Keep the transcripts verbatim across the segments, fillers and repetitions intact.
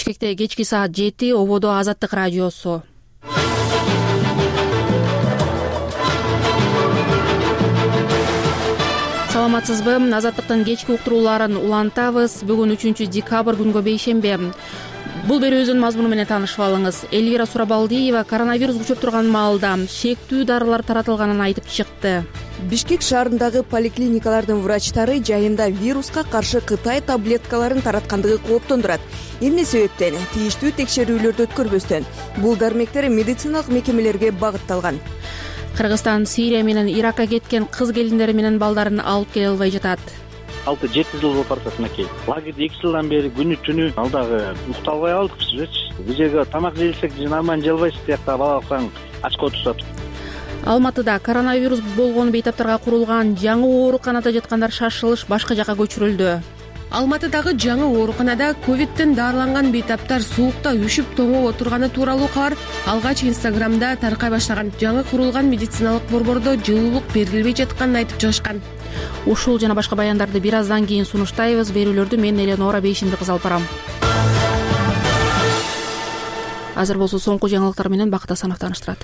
Бишкекте кечки саат жети, ободо Азаттык радиосу. Саламатсызбы? Азаттыктын кечки уктурууларын улантабыз. Бүгүн үчүнчү декабрь, күнгө бейшемби. Бул берүүбүздүн мазмуну менен таанышып алыңыз. Элвира Сурабалдиева коронавирус учуп турган маалда шектүү дарылар таратылганын айтып чыкты. Бишкек шаарындагы поликлиникалардын врачтары жайында вируска каршы Кытай таблеткаларын тараткандыгы кооптондурат. Эмне себептен? Тийиштүү текшерүүлөрдү өткөрбөстөн. Бул дармектер медициналык мекемелерге багытталган. Кыргызстан Сирия менен Иракка кеткен кыз келиндери менен балдарын алып келе албай жатат. алты жети жыл болуп баратат мынакей. Лагерде эки жылдан бери күнү түнү ал дагы уктап албай калдыкчы. Бул жерге тамак жейлсек нормально желбайсыз, тиякта бала баксаң ачка отурушат. Алматыда коронавирус болгон бейтаптарга курулган жаңы ооруканада жаткандар шашылыш башка жакка көчүрүлдү. Алматыдагы жаңы ооруканада ковидтен дарыланган бейтаптар суукта үшүп тоңоп отурганы тууралуу кабар алгач Инстаграмда таркай баштаган. Жаңы курулган медициналык борбордо жылуулук берилбей жатканын айтып чыгышкан. Ушул жана башка баяндарды бир аздан кийин сунуштайбыз. Берүүлөрдү мен Эленора Бейшимди кыз алып барам. Азыр болсо соңку жаңылыктар менен Бакыт Асанов тааныштырат.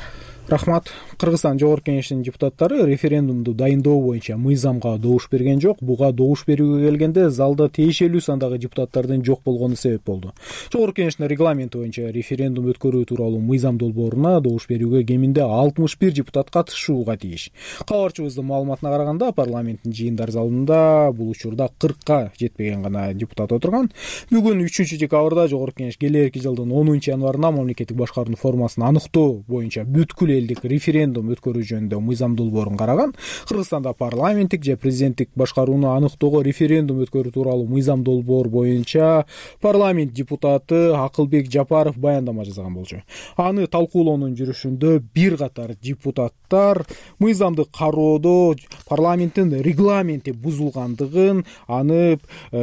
Рахмат. Кыргызстан Жогорку Кеңешинин депутаттары референдумду дайындоо боюнча мыйзамга добуш берген жок. Буга добуш берүүгө келгенде залда тиешелүү сандагы депутаттардын жок болгону себеп болду. Жогорку Кеңештин регламенти боюнча референдум өткөрүү тууралуу мыйзам долбооруна добуш берүүгө кеминде алтымыш бир депутат катышууга тийиш. Кабарчыбыздын маалыматына караганда, парламенттин жыйындар залында бул учурда кыркка жетпеген гана депутат отурган. Бүгүн үчүнчү декабрда Жогорку Кеңеш келерки жылдын онунчу январында мамлекеттик башкаруунун формасын аныктоо боюнча бүткүл элдик референдум өткөрүү жөнүндө мыйзам долбоорун караган. Кыргызстанда парламенттик же президенттик башкарууну аныктоого референдум өткөрүү тууралуу мыйзам долбоор боюнча парламент депутаты Акылбек Жапаров баяндама жасаган болчу. Аны талкуулоонун жүрүшүндө бир катар депутаттар мыйзамды кароодо парламенттин регламенти бузулгандыгын, аны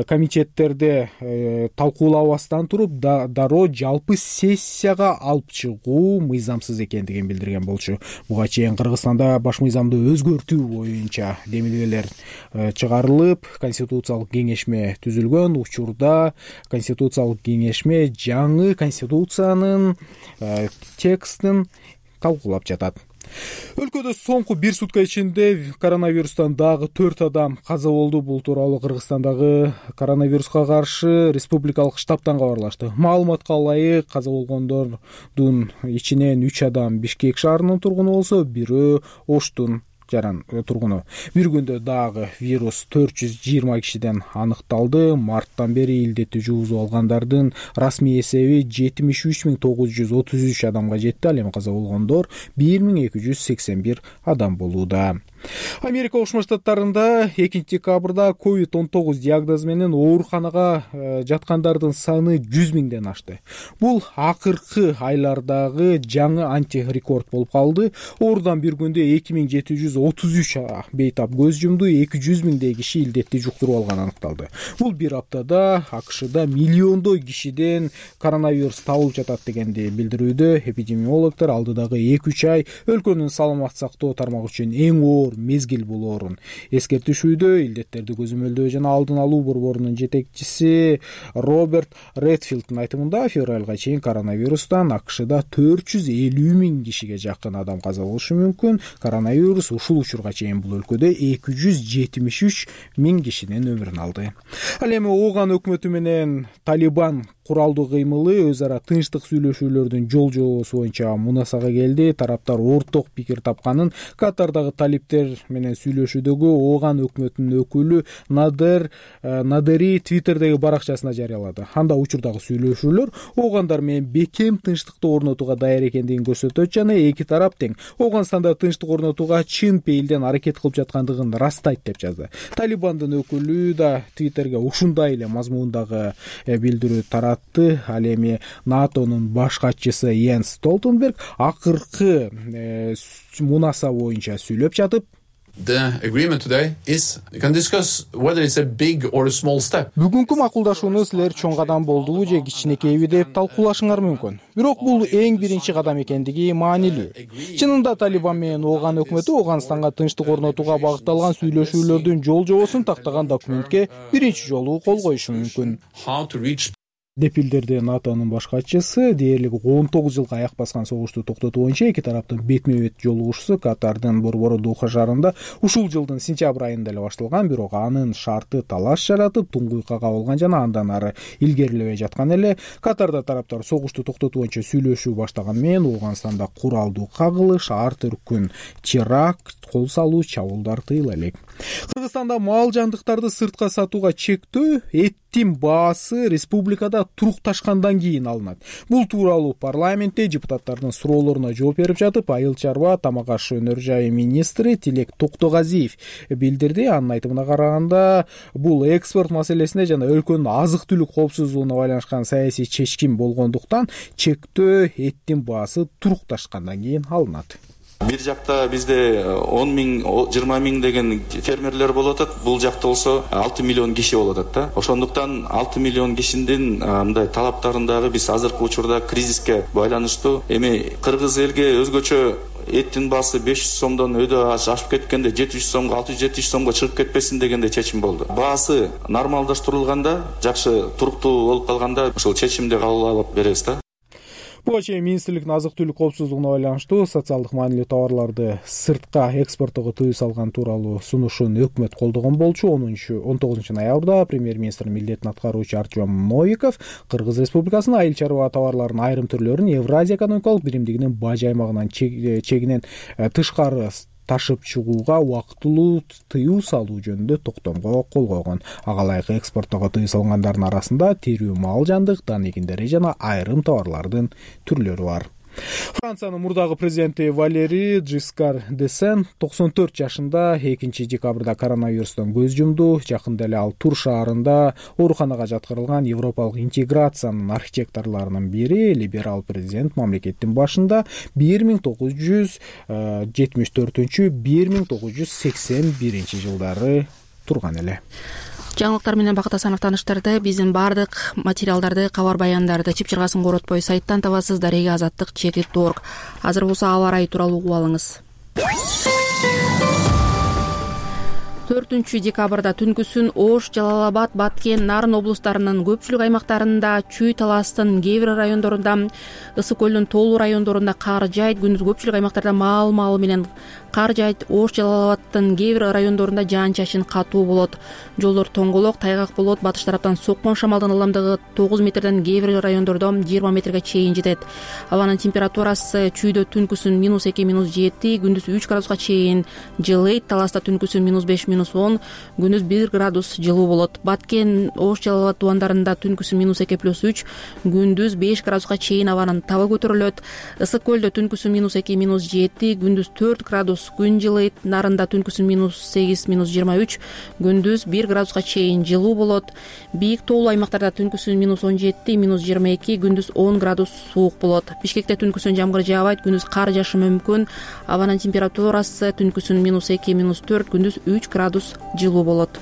комитеттерде талкуулабастан туруп дароо жалпы сессияга алып чыгуу мыйзамсыз экендигин билдирген болчу. Буга чейин Кыргызстанда баш мыйзамды өзгөртүү боюнча демилгелер чыгарылып, конституциялык кеңешме түзүлгөн. Учурда конституциялык кеңешме жаңы конституциянын текстин талкуулап жатат. Өлкөдө соңку бир сутка ичинде коронавирустан дагы төрт адам каза болду. Бул тууралуу Кыргызстандагы коронавируска каршы республикалык штабтан кабарлашты. Маалыматка ылайык, каза болгондордун ичинен үч адам Бишкек шаарынын тургуну болсо, бирөө Оштун жаран тургуну. Бир күндө дагы вирус төрт жүз жыйырма кишиден аныкталды. Марттан бери илдетти жугузуп алгандардын расмий эсеби жетимиш үч миң тогуз жүз отуз үч адамга жетти. Ал эми каза болгондор бир миң эки жүз сексен бир адам болууда. Америка Кошмо Штаттарында экинчи декабрда ковид он тогуз диагнозу менен ооруканага жаткандардын саны жүз миңден ашты. Бул акыркы айлардагы жаңы антирекорд болуп калды. Ордон бир күндө эки миң жети жүз отуз үч бейтап көз жумду, эки жүз миңдей киши илдетти жуктуруп алганы аныкталды. Бул бир аптада АКШда миллиондой кишиден коронавирус табылып жатат дегенди билдирүүдө. Эпидемиологдор алдыдагы эки үч ай өлкөнүн саламат сактоо тармагы үчүн эң оор мезгил болоорун эскертишүүдө. Илдеттерди көзөмөлдөө жана алдын алуу борборунун жетекчиси Роберт Редфилдтин айтымында, февралга чейин коронавирустан АКШда төрт жүз элүү миң кишиге жакын адам каза болушу мүмкүн. Коронавирус ушул учурга чейин бул өлкөдө эки жүз жетимиш үч миң кишинин өмүрүн алды. Ал эми Ооган өкмөтү менен Талибан куралдуу кыймылы өз ара тынчтык сүйлөшүүлөрдүн жол жобосу боюнча мунасага келди. Тараптар орток пикир тапканын Катардагы талиптер менен сүйлөшүүдөгү Ооган өкмөтүнүн өкүлү Надер Надери Твиттердеги баракчасына жарыялады. Анда учурдагы сүйлөшүүлөр Оогандар менен бекем тынчтыкты орнотууга даяр экендигин көрсөтөт жана эки тарап тең Ооганстанда тынчтык орнотууга чын пейилден аракет кылып жаткандыгын ырастайт деп жазды. Талибандын өкүлү да Твиттерге ушундай эле мазмундагы билдирүү таратты. Ал эми НАТОнун баш катчысы Йенс Столтенберг акыркы мунаса боюнча сүйлөп жатып, The agreement today is you can discuss whether it's a big or a small step. Бүгүнкү макулдашууну силер чоң кадам болдубу же кичинекейби деп талкуулашыңар мүмкүн. Бирок бул эң биринчи кадам экендиги маанилүү. Чынында Талибан менен Ооган өкмөтү Ооганстанга тынчтык орнотууга багытталган сүйлөшүүлөрдүн жол жобосун тактаган документке биринчи жолу кол коюшу мүмкүн. деп билдирди натонун баш катчысы. Дээрлик он тогуз жылга аяк баскан согушту токтотуу боюнча эки тараптын бетме бет жолугушуусу Катардын борбору Духа шаарында ушул жылдын сентябрь айында эле башталган, бирок анын шарты талаш жаратып, туңгуйкка кабылган жана андан ары илгерилебей жаткан эле. Катарда тараптар согушту токтотуу боюнча сүйлөшүү баштаган менен Ооганстанда куралдуу кагылыш, ар түркүн теракт, кол салуу, чабуулдар тыйыла элек. Кыргызстанда мал жандыктарды сыртка сатууга чектөө эттин баасы республикада турукташкандан кийин алынат. Бул тууралуу парламентте депутаттардын суроолоруна жооп берип жатып, айыл чарба, тамак аш өнөр жайы министри Тилек Токтогазиев билдирди. Анын айтымына караганда, бул экспорт маселесине жана өлкөнүн азык түлүк коопсуздугуна байланышкан саясий чечкин болгондуктан чектөө эттин баасы турукташкандан кийин алынат. Бир жакта бизде он миң, жыйырма миң деген фермерлер болуп атат. Бул жакта болсо алты миллион киши болуп атат да. Ошондуктан алты миллион кишинин мындай талаптарындагы биз азыркы учурда кризиске байланыштуу эми кыргыз элге өзгөчө эттин баасы беш жүз сомдон өйдө ашып кеткенде жети жүз сомго, алты жүз жети жүз сомго чыгып кетпесин дегенде чечим болду. Баасы нормалдаштырылганда, жакшы туруктуу болуп калганда ошол чечимди кабыл алып беребиз да. Буга чейин министрликтин азык түлүк коопсуздугуна байланыштуу социалдык маанилүү товарларды сыртка экспорттоого тыюу салган тууралуу сунушун өкмөт колдогон болчу. он тогузунчу ноябрда премьер-министрдин милдетин аткаруучу Артем Новиков Кыргыз Республикасынын айыл чарба товарларынын айрым түрлөрүн Евразия экономикалык биримдигинин бажы аймагынан чегинен тышкары ташып чыгууга убактылуу тыюу салуу жөнүндө токтомго кол койгон. Ага ылайык экспорттоого тыюу салгандардын арасында тирүү мал жандык, дан эгиндери жана айрым товарлардын түрлөрү бар. Франциянын мурдагы президенти Валери Жискар д'Эстен токсон төрт жашында экинчи декабрда коронавирустан көз жумду. Жакында эле ал Тур шаарында ооруканага жаткырылган европалык интеграциянын архитекторлорунун бири, либерал президент мамлекеттин башында бир миң тогуз жүз жетимиш төртүнчү — бир миң тогуз жүз сексен биринчи жылдары турган эле. Жаңылыктар менен Бакыт Асанов тааныштырды. Биздин баардык материалдарды, кабар баяндарды чып-чыргасын коротпой сайттан табасыз. Дарега азаттык чекит точка орг. Азыр болсо аба ырайы тууралуу угуп алыңыз. төртүнчү декабрда түнкүсүн Ош, Жалал Абад, Баткен, Нарын облустарынын көпчүлүк аймактарында, Чүй таластын кээ бир райондорунда, Ысык көлдүн тоолуу райондорунда кар жайт. Күндүз көпчүлүк аймактарда маал-маал менен кар жайт. Ош, Жалал Абадтын кээ бир райондорунда жаан-чачын катуу болот. Жолдор тоңголок, тайгак болот. Батыш тараптан соккон шамалдын ылдамдыгы тогуз метрден, кээ бир райондордо жыйырма метрге чейин жетет. Абанын температурасы Чүйдө түнкүсүн минус эки, минус жети, күндүз үч градуска чейин жылыйт. Таласта түнкүсүн минус беш, минус он, күндүз бир градус жылуу болот. Баткен, Ош, Жалал Абад тубандарында түнкүсүн минус эки, плюс үч, күндүз беш градуска чейин абанын табы көтөрүлөт. Ысык көлдө түнкүсүн минус эки, минус жети, күндүз төрт градус күн жылыйт. Нарында түнкүсүн минус сегиз, минус жыйырма үч, күндүз бир градуска чейин жылуу болот. Бийик тоолуу аймактарда түнкүсүн минус он жети, минус жыйырма эки, күндүз он градус суук болот. Бишкекте түнкүсүн жамгыр жаабайт, күндүз кар жаашы мүмкүн. Абанын температурасы түнкүсүн минус эки, минус төрт, күндүз үч градус жылуу болот.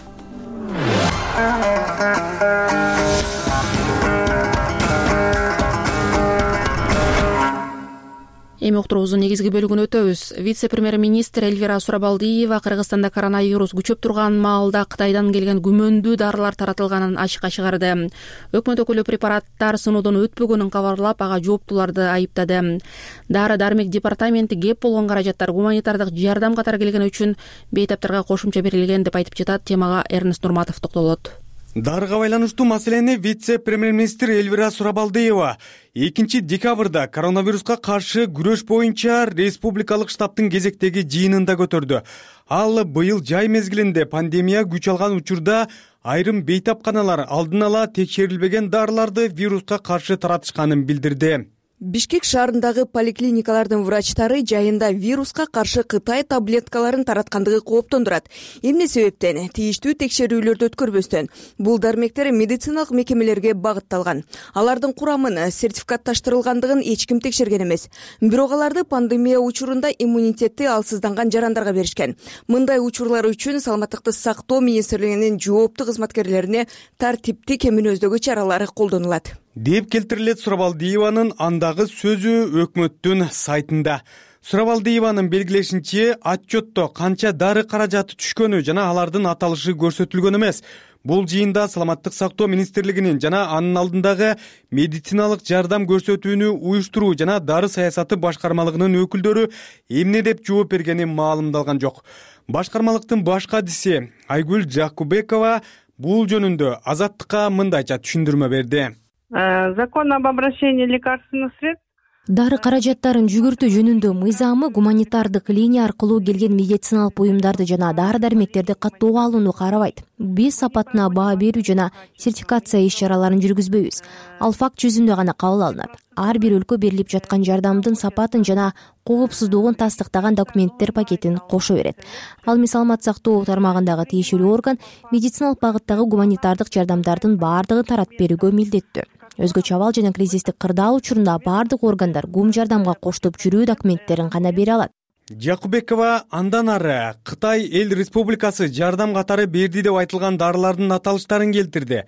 Эми уктуруубуздун негизги бөлүгүнө өтөбүз. Вице-премьер-министр Эльвира Сурабалдиева Кыргызстанда коронавирус күчөп турган маалда Кытайдан келген күмөндүү дарылар таратылганын ачыкка чыгарды. Өкмөт өкүлү препараттар сыноодон өтпөгөнүн кабарлап, ага жооптууларды айыптады. Дары-дармек департаменти кеп болгон каражаттар гуманитардык жардам катары келген үчүн бейтаптарга кошумча берилген деп айтып жатат. Темага Эрнест Нурматов токтолот. Дарыга байланыштуу маселени вице-премьер-министр Эльвира Сурабалдиева экинчи декабрда коронавируска каршы күрөш боюнча республикалык штабтын кезектеги жыйынында көтөрдү. Ал быйыл жай мезгилинде пандемия күч алган учурда айрым бейтапканалар алдын ала текшерилбеген дарыларды вируска каршы таратышканын билдирди. Бишкек шаарындагы поликлиникалардын врачтары жайында вируска каршы Кытай таблеткаларын тараткандыгы кооптондурат. Эмне себептен? Тийиштүү текшерүүлөрдү өткөрбөстөн бул дармектер медициналык мекемелерге багытталган. Алардын курамын сертификатташтырылгандыгын эч ким текшерген эмес. Бирок аларды пандемия учурунда иммунитети алсызданган жарандарга беришкен. Мындай учурлар үчүн Саламаттыкты сактоо министрлигинин жооптуу кызматкерлерине тартиптик эминөөздөгү чаралары колдонулат деп келтирилет Сурабалдиеванын андагы сөзү өкмөттүн сайтында. Сурабалдиеванын белгилешинче, отчетто канча дары каражаты түшкөнү жана алардын аталышы көрсөтүлгөн эмес. Бул жыйында саламаттык сактоо министрлигинин жана анын алдындагы медициналык жардам көрсөтүүнү уюштуруу жана дары саясаты башкармалыгынын өкүлдөрү эмне деп жооп бергени маалымдалган жок. Башкармалыктын баш кадиси Айгүл Жакубекова бул жөнүндө Азаттыкка мындайча түшүндүрмө берди. Закон об обращении лекарственных средств дары каражаттарын жүгүртүү жөнүндө мыйзамы гуманитардык линия аркылуу келген медициналык буюмдарды жана дары дармектерди каттоого алууну карабайт. Биз сапатына баа берүү жана сертификация иш чараларын жүргүзбөйбүз. Ал факт жүзүндө гана кабыл алынат. Ар бир өлкө берилип жаткан жардамдын сапатын жана коопсуздугун тастыктаган документтер пакетин кошо берет. Ал эми саламат сактоо тармагындагы тиешелүү орган медициналык багыттагы гуманитардык жардамдардын баардыгын таратып берүүгө милдеттүү. Өзгөчө абал жана кризистик кырдаал учурунда баардык органдар гум жардамга коштоп жүрүү документтерин гана бере алат. Жакубекова андан ары Кытай эл республикасы жардам катары берди деп айтылган дарылардын аталыштарын келтирди.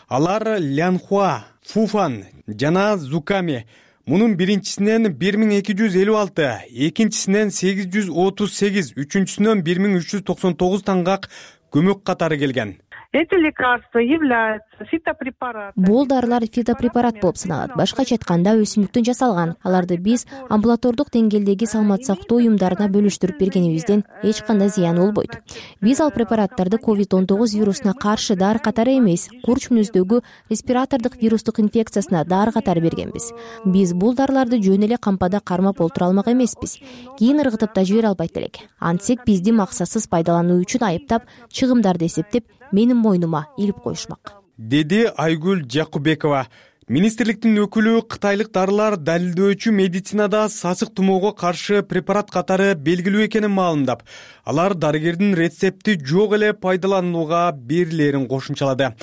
Алар Лянхуа, Фуфан жана Зуками. Мунун биринчисинен бир миң эки жүз элүү алты, экинчисинен сегиз жүз отуз сегиз, үчүнчүсүнөн бир миң үч жүз токсон тогуз таңгак көмөк катары келген. Эти лекарства являются фитопрепаратами. Бул дарылар фитопрепарат болуп саналат. Башкача айтканда өсүмдүктөн жасалган. Аларды биз амбулатордук деңгээлдеги саламат сактоо уюмдарына бөлүштүрүп бергенибизден эч кандай зыян болбойт. Биз ал препараттарды ковид он тогуз вирусуна каршы дары катары эмес, курч мүнөздөгү респиратордук вирустук инфекциясына дары катары бергенбиз. Биз бул дарыларды жөн эле кампада кармап олтура алмак эмеспиз. Кийин ыргытып да жибере албайт элек. Антсек бизди максатсыз пайдалануу үчүн айыптап, чыгымдарды эсептеп менин мойнума илип коюшмак, деди Айгүл Жакубекова. Министрликтин өкүлү кытайлык дарылар далилдөөчү медицинада сасык тумоого каршы препарат катары белгилүү экенин маалымдап, алар дарыгердин рецепти жок эле пайдаланууга берилерин кошумчалады.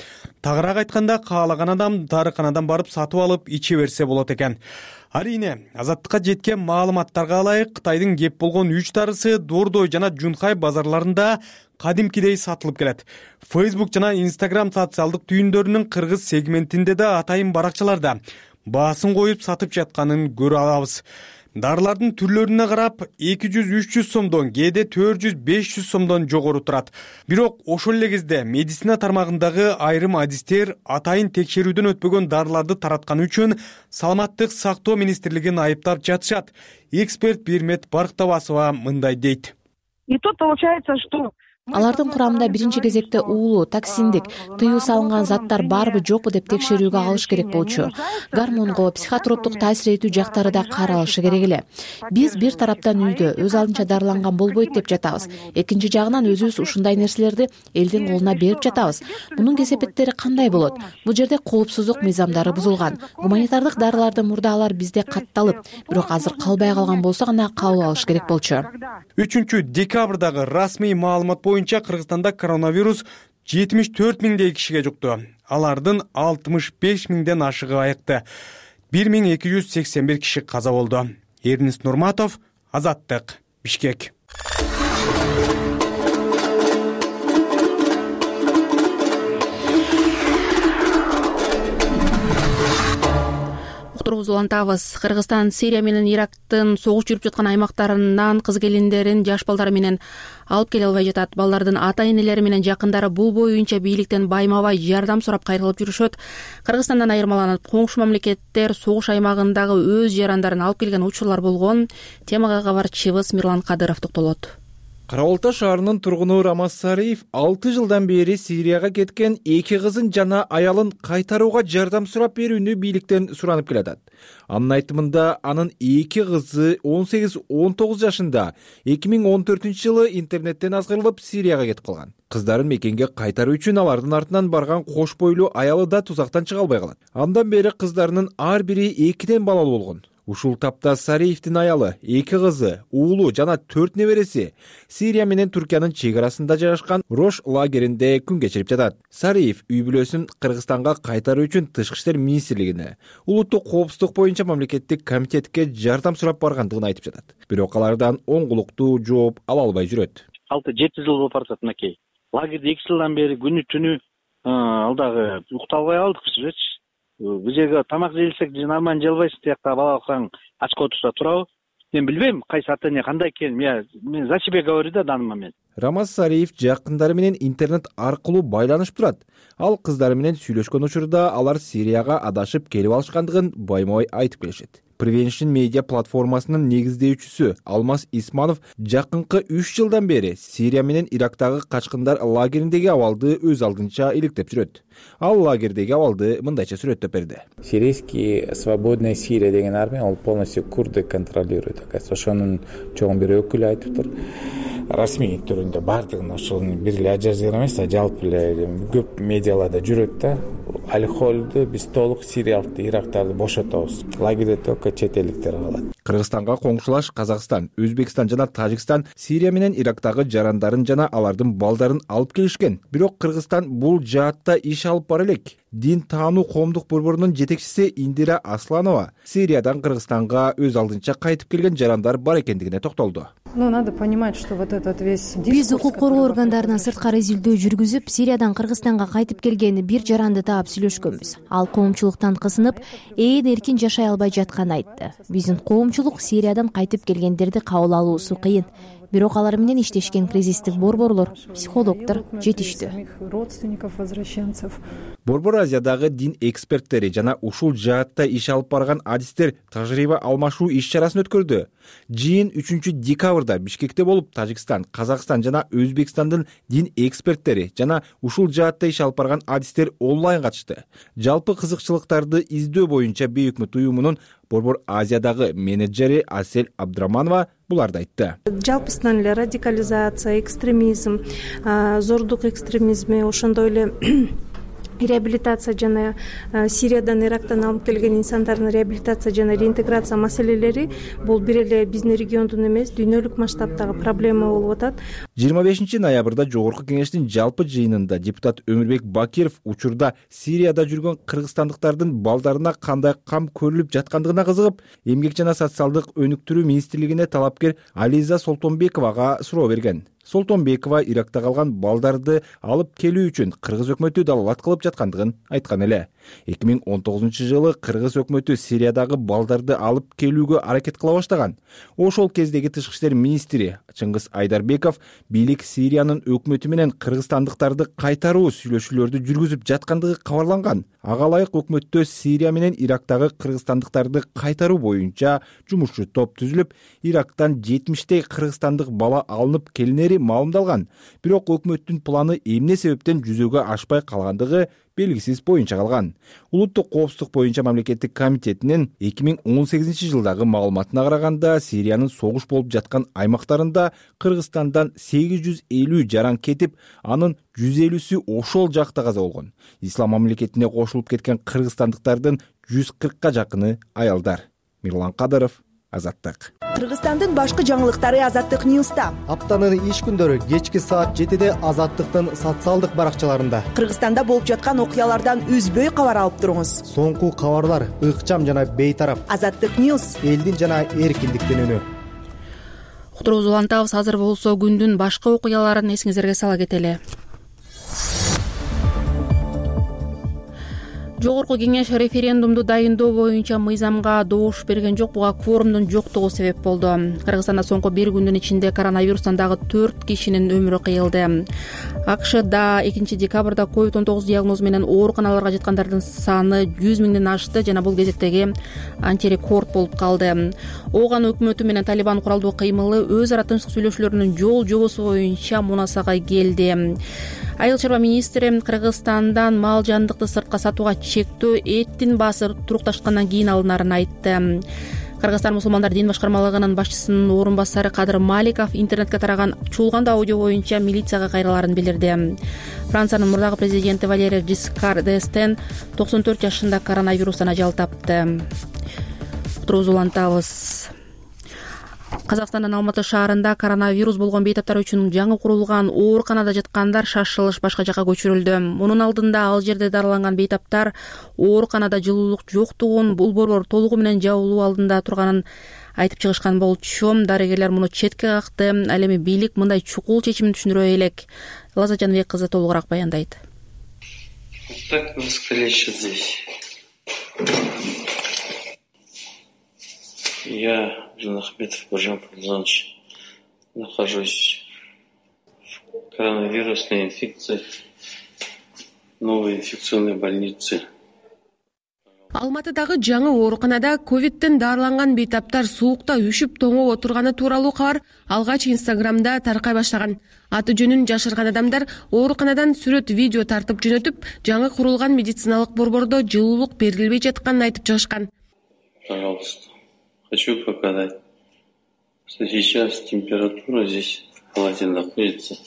Тагыраак айтканда, каалаган адам дарыканадан барып сатып алып иче берсе болот экен. Арийне, Азаттыкка жеткен маалыматтарга ылайык, Кытайдын кеп болгон үч дарысы Дордой жана Жунхай базарларында кадимкидей сатылып келет. Facebook жана Instagram социалдык түйүндөрүнүн кыргыз сегментинде да атайын баракчаларда баасын коюп сатып жатканын көрө алабыз. Дарылардын түрлөрүнө карап эки жүз үч жүз сомдон, кээде төрт жүз беш жүз сомдон жогору турат. Бирок ошол эле кезде медицина тармагындагы айрым адистер атайын текшерүүдөн өтпөгөн дарыларды таратканы үчүн саламаттык сактоо министрлигин айыптап жатышат. Эксперт Бирмет Барктабасова мындай дейт. И тут получается, что Алардын курамында биринчи кезекте уулуу, токсиндик, тыюу салынган заттар барбы жокпу деп текшерүүгө алыш керек болчу. Гормонго, психотроптук таасир этүү жактары да каралышы керек эле. Биз бир тараптан үйдө өз алдынча дарыланган болбойт деп жатабыз. Экинчи жагынан өзүбүз ушундай нерселерди элдин колуна берип жатабыз. Мунун кесепеттери кандай болот? Бул жерде коопсуздук мыйзамдары бузулган. Гуманитардык дарылардын мурдалар бизде катталып, бирок азыр калбай калган болсо гана кабыл алыш керек болчу. үчүнчү декабрдагы расмий маалымат боюнча Кыргызстанда коронавирус жетимиш төрт миңдей кишиге жукту. Алардын алтымыш беш миңден ашыгы айыкты. бир миң эки жүз сексен бир киши каза болду. Эрнис Нурматов, Азаттык, Бишкек. Улантабыз. Кыргызстан Сирия менен Ирактын согуш жүрүп жаткан аймактарынан кыз келиндерин, жаш балдар менен алып келе албай жатат. Балдардын ата-энелери менен жакындары бул боюнча бийликтен байма-бай жардам сурап кайрылып жүрүшөт. Кыргызстандан айырмаланып, коңшу мамлекеттер согуш аймагындагы өз жарандарын алып келген учурлар болгон. Темага кабарчыбыз Мирлан Кадыров токтолот. Кара Балта шаарынын тургуну Рамаз Сариев алты жылдан бери Сирияга кеткен эки кызын жана аялын кайтарууга жардам сурап берүүнү бийликтен суранып келатат. Анын айтымында, анын эки кызы он сегиз он тогуз жашында эки миң он төртүнчү жылы интернеттен азгырылып Сирияга кетип калган. Кыздарын мекенге кайтаруу үчүн алардын артынан барган кош бойлуу аялы да тузактан чыга албай калат. Андан бери кыздарынын ар бири экиден балалуу болгон. Ушул тапта Сариевдин аялы, эки кызы, уулу жана төрт небереси Сирия менен Түркиянын чек арасында жайгашкан Рош лагеринде күн кечирип жатат. Сариев үй бүлөсүн Кыргызстанга кайтаруу үчүн Тышкы иштер министрлигине, улуттук коопсуздук боюнча мамлекеттик комитетке жардам сурап баргандыгын айтып жатат. Бирок алардан оңгулуктуу жооп ала албай жүрөт. алты жети жыл болуп баратат мынакей. Лагерде эки жылдан бери күнү түнү ал дагы уктап албай калдык бизчи. Бул жерге тамак жейлсек нормально желбайсың, тиякта бала калсаң ачка отурса турабы? Мен билбейм кайсы ата эне кандай экенин. Мен за себя говорю да, данный момент. Рамазсариев жакындары менен интернет аркылуу байланышып турат. Ал кыздары менен сүйлөшкөн учурда алар Сирияга адашып келип алышкандыгын байма-бай айтып келишет. Prevention Media платформасынын негиздөөчүсү Алмаз Исманов жакынкы үч жылдан бери Сирия менен Ирактагы качкындар лагериндеги абалды өз алдынча иликтеп жүрөт. Ал лагердеги абалды мындайча сүрөттөп берди. Сирийский свободная Сирия деген армия ал полностью курды контролирует. Ошонун чоң бир өкүлү айтыптыр. Расмий түрүндө бардыгын ошонун бир эле Ажазира эмес, жалпы эле көп медиаларда жүрөт да. Аль-Холду биз толук сириялык ирактарды бошотобуз. Лагерде только чет элдиктер калат. Кыргызстанга коңшулаш Казакстан, Өзбекстан жана Тажикстан Сирия менен Ирактагы жарандарын жана алардын балдарын алып келишкен. Бирок Кыргызстан бул жаатта иш алып бара элек. Дин таануу коомдук борборунун жетекчиси Индира Асланова Сириядан Кыргызстанга өз алдынча кайтып келген жарандар бар экендигине токтолду. Ну, надо понимать, что вот этот весь биз укук коргоо органдарына сырткары изилдөө жүргүзүп, Сириядан Кыргызстанга кайтып келген бир жаранды таап сүйлөшкөнбүз. Ал коомчулуктан кысынып, ээн эркин жашай албай жатканын айтты. Биздин коомчулук Сириядан кайтып келгендерди кабыл алуусу кыйын. Бирок алар менен иштешкен кризистик борборлор, психологдор жетиштүү. Борбор Азиядагы дин эксперттери жана ушул жаатта иш алып барган адистер тажрыйба алмашуу иш-чарасын өткөрдү. Жыйын үчүнчү декабрда Бишкекте болуп, Тажикстан, Казакстан жана Өзбекстандын дин эксперттери жана ушул жаатта иш алып барган адистер онлайн катышты. Жалпы кызыкчылыктарды издөө боюнча Бейөкмөт уюмунун Борбор Азиядагы менеджери Асель Абдраманова буларды айтты. Жалпысынан эле радикализация, экстремизм, зордук экстремизми, ошондой эле реабилитация жана Сириядан, Ирактан алып келген инсандардын реабилитация жана реинтеграция маселелери бул бир эле биздин региондун эмес, дүйнөлүк масштабтагы проблема болуп атат. жыйырма бешинчи ноябрда Жогорку кеңештин жалпы жыйынында депутат Өмүрбек Бакиров учурда Сирияда жүргөн кыргызстандыктардын балдарына кандай кам көрүлүп жаткандыгына кызыгып, Эмгек жана социалдык өнүктүрүү министрлигине талапкер Ализа Солтонбековага суроо берген. Солтонбекова Иракта калган балдарды алып келүү үчүн Кыргыз өкмөтү далалат кылып жаткандыгын айткан эле. эки миң он тогузунчу жылы Кыргыз өкмөтү Сириядагы балдарды алып келүүгө аракет кыла баштаган. Ошол кездеги тышкы иштер министри Чыңгыз Айдарбеков бийлик Сириянын өкмөтү менен кыргызстандыктарды кайтаруу сүйлөшүүлөрдү жүргүзүп жаткандыгы кабарланган. Ага ылайык өкмөттө Сирия менен Ирактагы кыргызстандыктарды кайтаруу боюнча жумушчу топ түзүлүп, Ирактан жетимиштей кыргызстандык бала алынып келинери маалымдалган. Бирок өкмөттүн планы эмне себептен жүзөгө ашпай калгандыгы белгисиз боюнча калган. Улуттук коопсуздук боюнча мамлекеттик комитетинин эки миң он сегизинчи жылдагы маалыматына караганда, Сириянын согуш болуп жаткан аймактарында Кыргызстандан сегиз жүз элүү жаран кетип, анын жүз элүүсү ошол жакта каза болгон. Ислам мамлекетине кошулуп кеткен кыргызстандыктардын жүз кыркка жакыны аялдар. Мирлан Кадыров, Азаттык. Кыргызстандын башкы жаңылыктары Азаттык Ньюста. Аптанын иш күндөрү кечки саат жетиде Азаттыктын социалдык баракчаларында. Кыргызстанда болуп жаткан окуялардан үзбөй кабар алып туруңуз. Соңку кабарлар ыкчам жана бейтарап. Азаттык Ньюс. Элдин жана эркиндиктин үнү. Уктуруубузду улантабыз. Азыр болсо күндүн башка окуяларын эсиңиздерге сала кетели. Жогорку кеңеш референдумду дайындоо боюнча мыйзамга добуш берген жок. Буга кворумдун жоктугу себеп болду. Кыргызстанда соңку бир күндүн ичинде коронавирустан дагы төрт кишинин өмүрү кыйылды. АКШда экинчи декабрда ковид он тогуз диагнозу менен ооруканаларга жаткандардын саны жүз миңден ашты жана бул кезектеги антирекорд болуп калды. Ооган өкмөтү менен Талибан куралдуу кыймылы өз ара тынчтык сүйлөшүүлөрүнүн жол жобосу боюнча мунасага келди. Айыл чарба министри Кыргызстандан мал жандыкты сыртка сатууга чектөө эттин баасы турукташкандан кийин алынарын айтты. Кыргызстан мусулмандар дин башкармалыгынын башчысынын орун басары Кадыр Маликов интернетке тараган чуулган аудио боюнча милицияга кайрылаарын билдирди. Франциянын мурдагы президенти Валерий Жискар д'Эстен токсон төрт жашында коронавирустан ажал тапты. Уктуруубузду улантабыз. Казакстандын Алматы шаарында коронавирус болгон бейтаптар үчүн жаңы курулган ооруканада жаткандар шашылыш башка жакка көчүрүлдү. Мунун алдында ал жерде дарыланган бейтаптар ооруканада жылуулук жоктугун, бул борбор толугу менен жабылуу алдында турганын айтып чыгышкан болчу. Дарыгерлер муну четке какты. Ал эми бийлик мындай чукул чечимин түшүндүрө элек. Лаза Жаныбек кызы толугураак баяндайт. Так встреча здесь. Я, Жан Ахметов Бажан Павлович, нахожусь коронавирусная инфекция, новые инфекционные больницы. Алматыдагы жаңы ооруканада ковидтен дарыланган бейтаптар суукта үшүп тоңоп отурганы тууралуу кабар алгач Инстаграмда таркай баштаган. Аты жөнүн жашырган адамдар ооруканадан сүрөт, видео тартып жөнөтүп, жаңы курулган медициналык борбордо жылуулук берилбей жатканын айтып чыгышкан. Пожалуйста, хочу показать, что сейчас температура здесь в палате находится в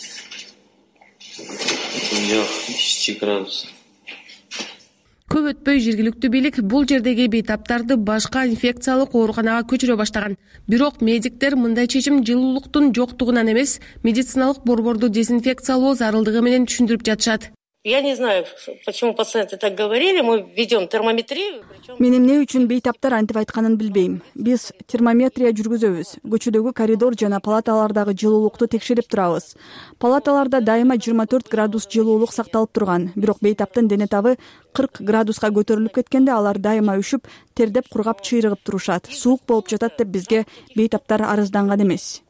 пределах десяти градусов. Көп өтпөй жергиликтүү бийлик бул жердеги бейтаптарды башка инфекциялык ооруканага көчүрө баштаган. Бирок медиктер мындай чечим жылуулуктун жоктугунан эмес, медициналык борборду дезинфекциялоо зарылдыгы менен түшүндүрүп жатышат. Я не знаю, почему пациенты так говорили. Мы ведем термометрию. Мен эмне үчүн бейтаптар антип айтканын билбейм. Биз термометрия жүргүзөбүз. Көчөдөгү коридор жана палаталардагы жылуулукту текшерип турабыз. Палаталарда дайыма жыйырма төрт градус жылуулук сакталып турган. Бирок бейтаптын дене табы кырк градуска көтөрүлүп кеткенде алар дайыма үшүп, тердеп, кургап, чыйрыгып турушат. Суук болуп жатат деп бизге бейтаптар арызданган эмес.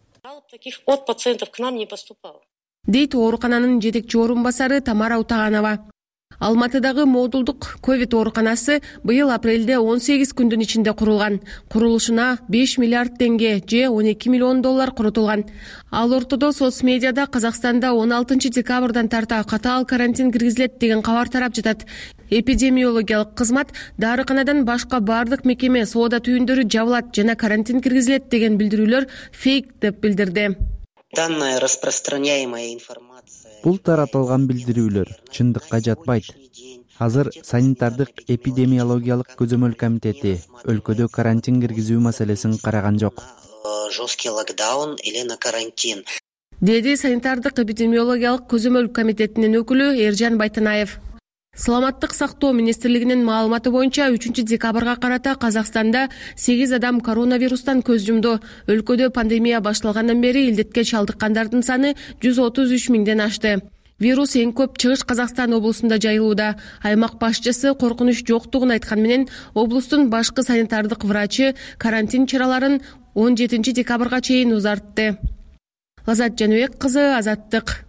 Таких от пациентов к нам не поступало. Дейт оорукананын жетекчи орун басары Тамара Утаганова. Алматыдагы модулдук ковид ооруканасы быйыл апрелде он сегиз күндүн ичинде курулган. Курулушуна беш миллиард теңге же он эки миллион доллар коротулган. Ал ортодо соц медиада Казакстанда он алтынчы декабрдан тарта катаал карантин киргизилет деген кабар тарап жатат. Эпидемиологиялык кызмат дарыканадан башка бардык мекеме, соода түйүндөрү жабылат жана карантин киргизилет деген билдирүүлөр фейк деп билдирди. Данная распространяемая информация. Бул таратылган билдирүүлөр чындыкка жатпайт. Азыр санитардык эпидемиологиялык көзөмөл комитети өлкөдө карантин киргизүү маселесин караган жок. Жесткий локдаун или на карантин. Деди санитардык эпидемиологиялык көзөмөл комитетинин өкүлү Эржан Байтанаев. Саламаттык сактоо министрлигинин маалыматы боюнча үчүнчү декабрга карата Казакстанда сегиз адам коронавирустан көз жумду. Өлкөдө пандемия башталгандан бери илдетке чалдыккандардын саны жүз отуз үч миңден ашты. Вирус эң көп Чыгыш Казакстан облусунда жайылууда. Аймак башчысы коркунуч жоктугун айткан менен, облустун башкы санитардык врачы карантин чараларын он жетинчи декабрга чейин узартты. Азат Жаныбек кызы, Азаттык.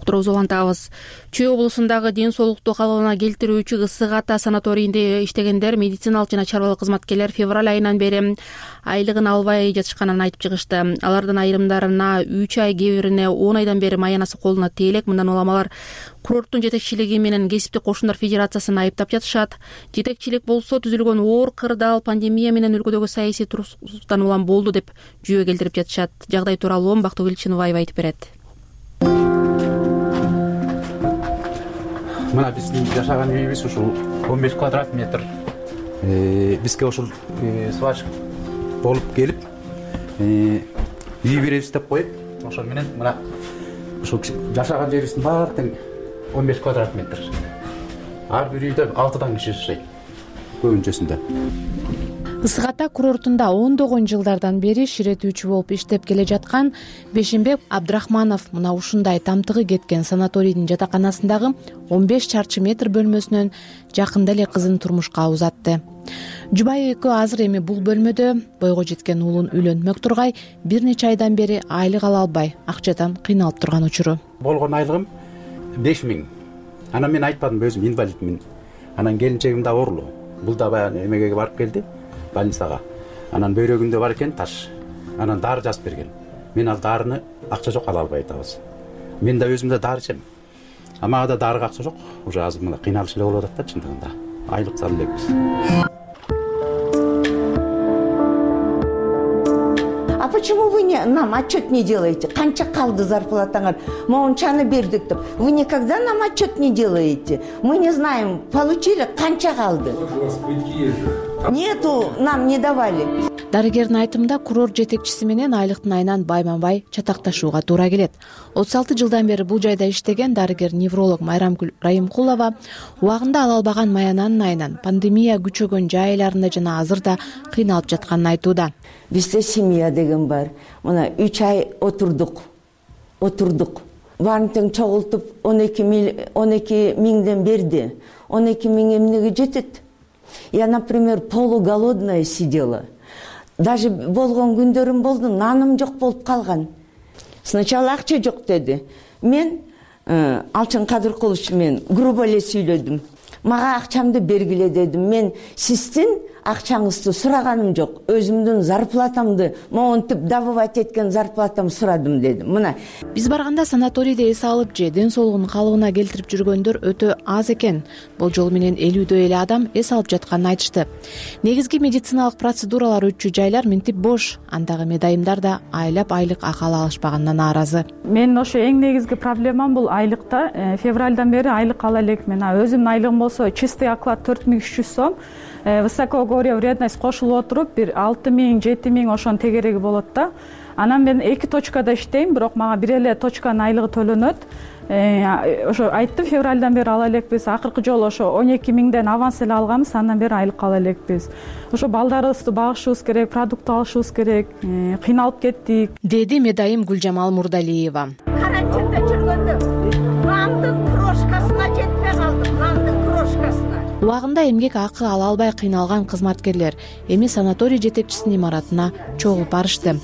Улантабыз. Чүй облусундагы ден соолукту калыбына келтирүүчү ысык ата санаторийинде иштегендер, медициналык жана чарбалык кызматкерлер февраль айынан бери айлыгын албай жатышканын айтып чыгышты. Алардын айрымдарына үч ай, кээ бирине он айдан бери маянасы колуна тейлек. Мындан уламалар курорттун жетекчилиги менен кесиптик кошундар федерациясын айыптап жатышат. Жетекчилик болсо түзүлгөн оор кырдаал пандемия менен өлкөдөгү саясий турсуздуктан улам болду деп жүйө келтирип жатышат. Жагдай тууралуу Бактыгүл Чыныбаева айтып берет. Мына биздин жашаган үйүбүз ушул он беш квадрат метр. Бизге ушул свач болуп келип, үй беребиз деп коюп, ошол менен мына ушул жашаган жерибиздин баары тең он беш квадрат метр. Ар бир үйдө алтыдан киши жашайт. Көбүнчөсүндө. Ысык ата курортунда ондогон жылдардан бери ширетүүчү болуп иштеп келе жаткан Бешимбек Абдрахманов мына ушундай тамтыгы кеткен санаторийдин жатаканасындагы он беш чарчы метр бөлмөсүнөн жакында эле кызын турмушка узатты. Жубайы экөө азыр эми бул бөлмөдө бойго жеткен уулун үйлөнмөк тургай бир нече айдан бери айлык ала албай, акчадан кыйналып турган учуру. Болгон айлыгым беш миң. Анан мен айтпадым, өзүм инвалидмин. Анан келинчегим да оорулуу. Бул да баягы эмеге барып келди. Больницага. Анан бөйрөгүндө бар экен таш. Анан дары жазып берген. Мен ал дарыны акча жок ала албай атабыз. Мен да өзүм да дары ичем. А мага да дарыга акча жок. Уже азыр мына кыйналыш эле болуп атат да чындыгында. Айлык салы элекпиз. А почему вы не, нам отчет не делаете? Канча калды зарплатаңар? Моунчаны бердик деп. Вы никогда нам отчет не делаете? Мы не знаем, получили, канча калды? Нету, нам не давали. Дарыгердин айтымында курорт жетекчиси менен айлыктын айынан байма-бай чатакташууга туура келет. отуз алты жылдан бери бул жайда иштеген дарыгер-невролог Майрамкүл Райымкулова убагында ала албаган маянанын айынан пандемия күчөгөн жайларында жана азырда кыйналып жатканын айтууда. Бизде семья деген бар. Мына үч ай отурдук. Отурдук. Баарын тең чогултуп он эки миңден берди. он эки миң эмнеге жетет? Я, например, полуголодная сидела. Даже болгон күндөрүм болду, наным жок болуп калган. Сначала акча жок деди. мен Алчын Кадыркулович мен грубо эле сүйлөдүм. Мага акчамды бергиле дедим. Мен сиздин акчаңызды сураганым жок. Өзүмдүн зарплатамды, монтип добывать эткен зарплатамды сурадым дедим. Мына биз барганда санаторийде эс алып же ден соолугун калыбына келтирип жүргөндөр өтө аз экен. Болжол менен элүүдөй эле адам эс алып жатканын айтышты. Негизги медициналык процедуралар өтчү жайлар минтип бош. Андагы медайымдар да айлап айлык акы алышпаганына нааразы. Мен ошо эң негизги проблемам бул айлыкта. Февралдан бери айлык ала элекмин. Өзүмдүн айлыгым болсо чистый оклад төрт миң үч жүз сом. Высокогорье вредность кошулуп отуруп бир алты миң жети миң ошонун тегереги болот да. Анан мен эки точкада иштейм, бирок мага бир эле точканын айлыгы төлөнөт. Ошо айттым, февралдан бери ала элекпиз. Акыркы жолу ошо он эки миңден аванс эле алганбыз, андан бери айлык ала элекпиз. Ошо балдарыбызды багышыбыз керек, продукт алышыбыз керек. Кыйналып кеттик, деди медайым Гүлжамал Мурдалиева. Карантинде жүргөндө нандын крошкасына жетпей калдым, нандын крошкасына. Убагында эмгек акы ала албай кыйналган кызматкерлер эми санаторий жетекчисинин имаратына чогулуп барышты.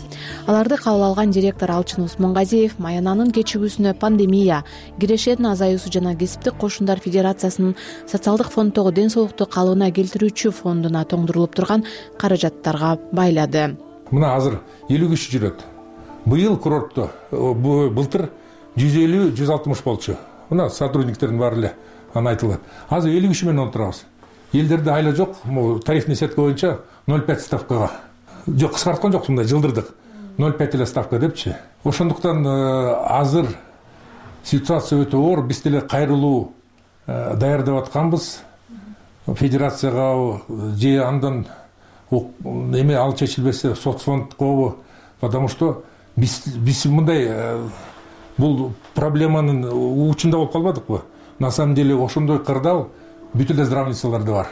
Аларды кабыл алган директор Алчын Усмонгазиев маянанын кечигүүсүнө пандемия, кирешенин азаюусу жана кесиптик кошундар федерациясынын социалдык фонддогу ден соолукту калыбына келтирүүчү фондуна тоңдурулуп турган каражаттарга байлады. Мына азыр элүү киши жүрөт. Быйыл курортто былтыр жүз элүү жүз алтымыш болчу. Мына сотрудниктердин баары эле аны айтылат. Азыр элүү киши менен отурабыз. Элдерде айла жок, тарифный сетка боюнча ноль пять ставкага. Жок, кыскарткан жок, мындай жылдырдык. ноль пять эле ставка депчи. Ошондуктан азыр ситуация өтө оор, биз деле кайрылуу даярдап атканбыз. Федерацияга же андан эме ал чечилбесе соцфондго, потому что биз биз мындай бул проблеманын учунда болуп калбадыкпы? На самом деле ошондой кырдаал бүт эле здравницаларда бар.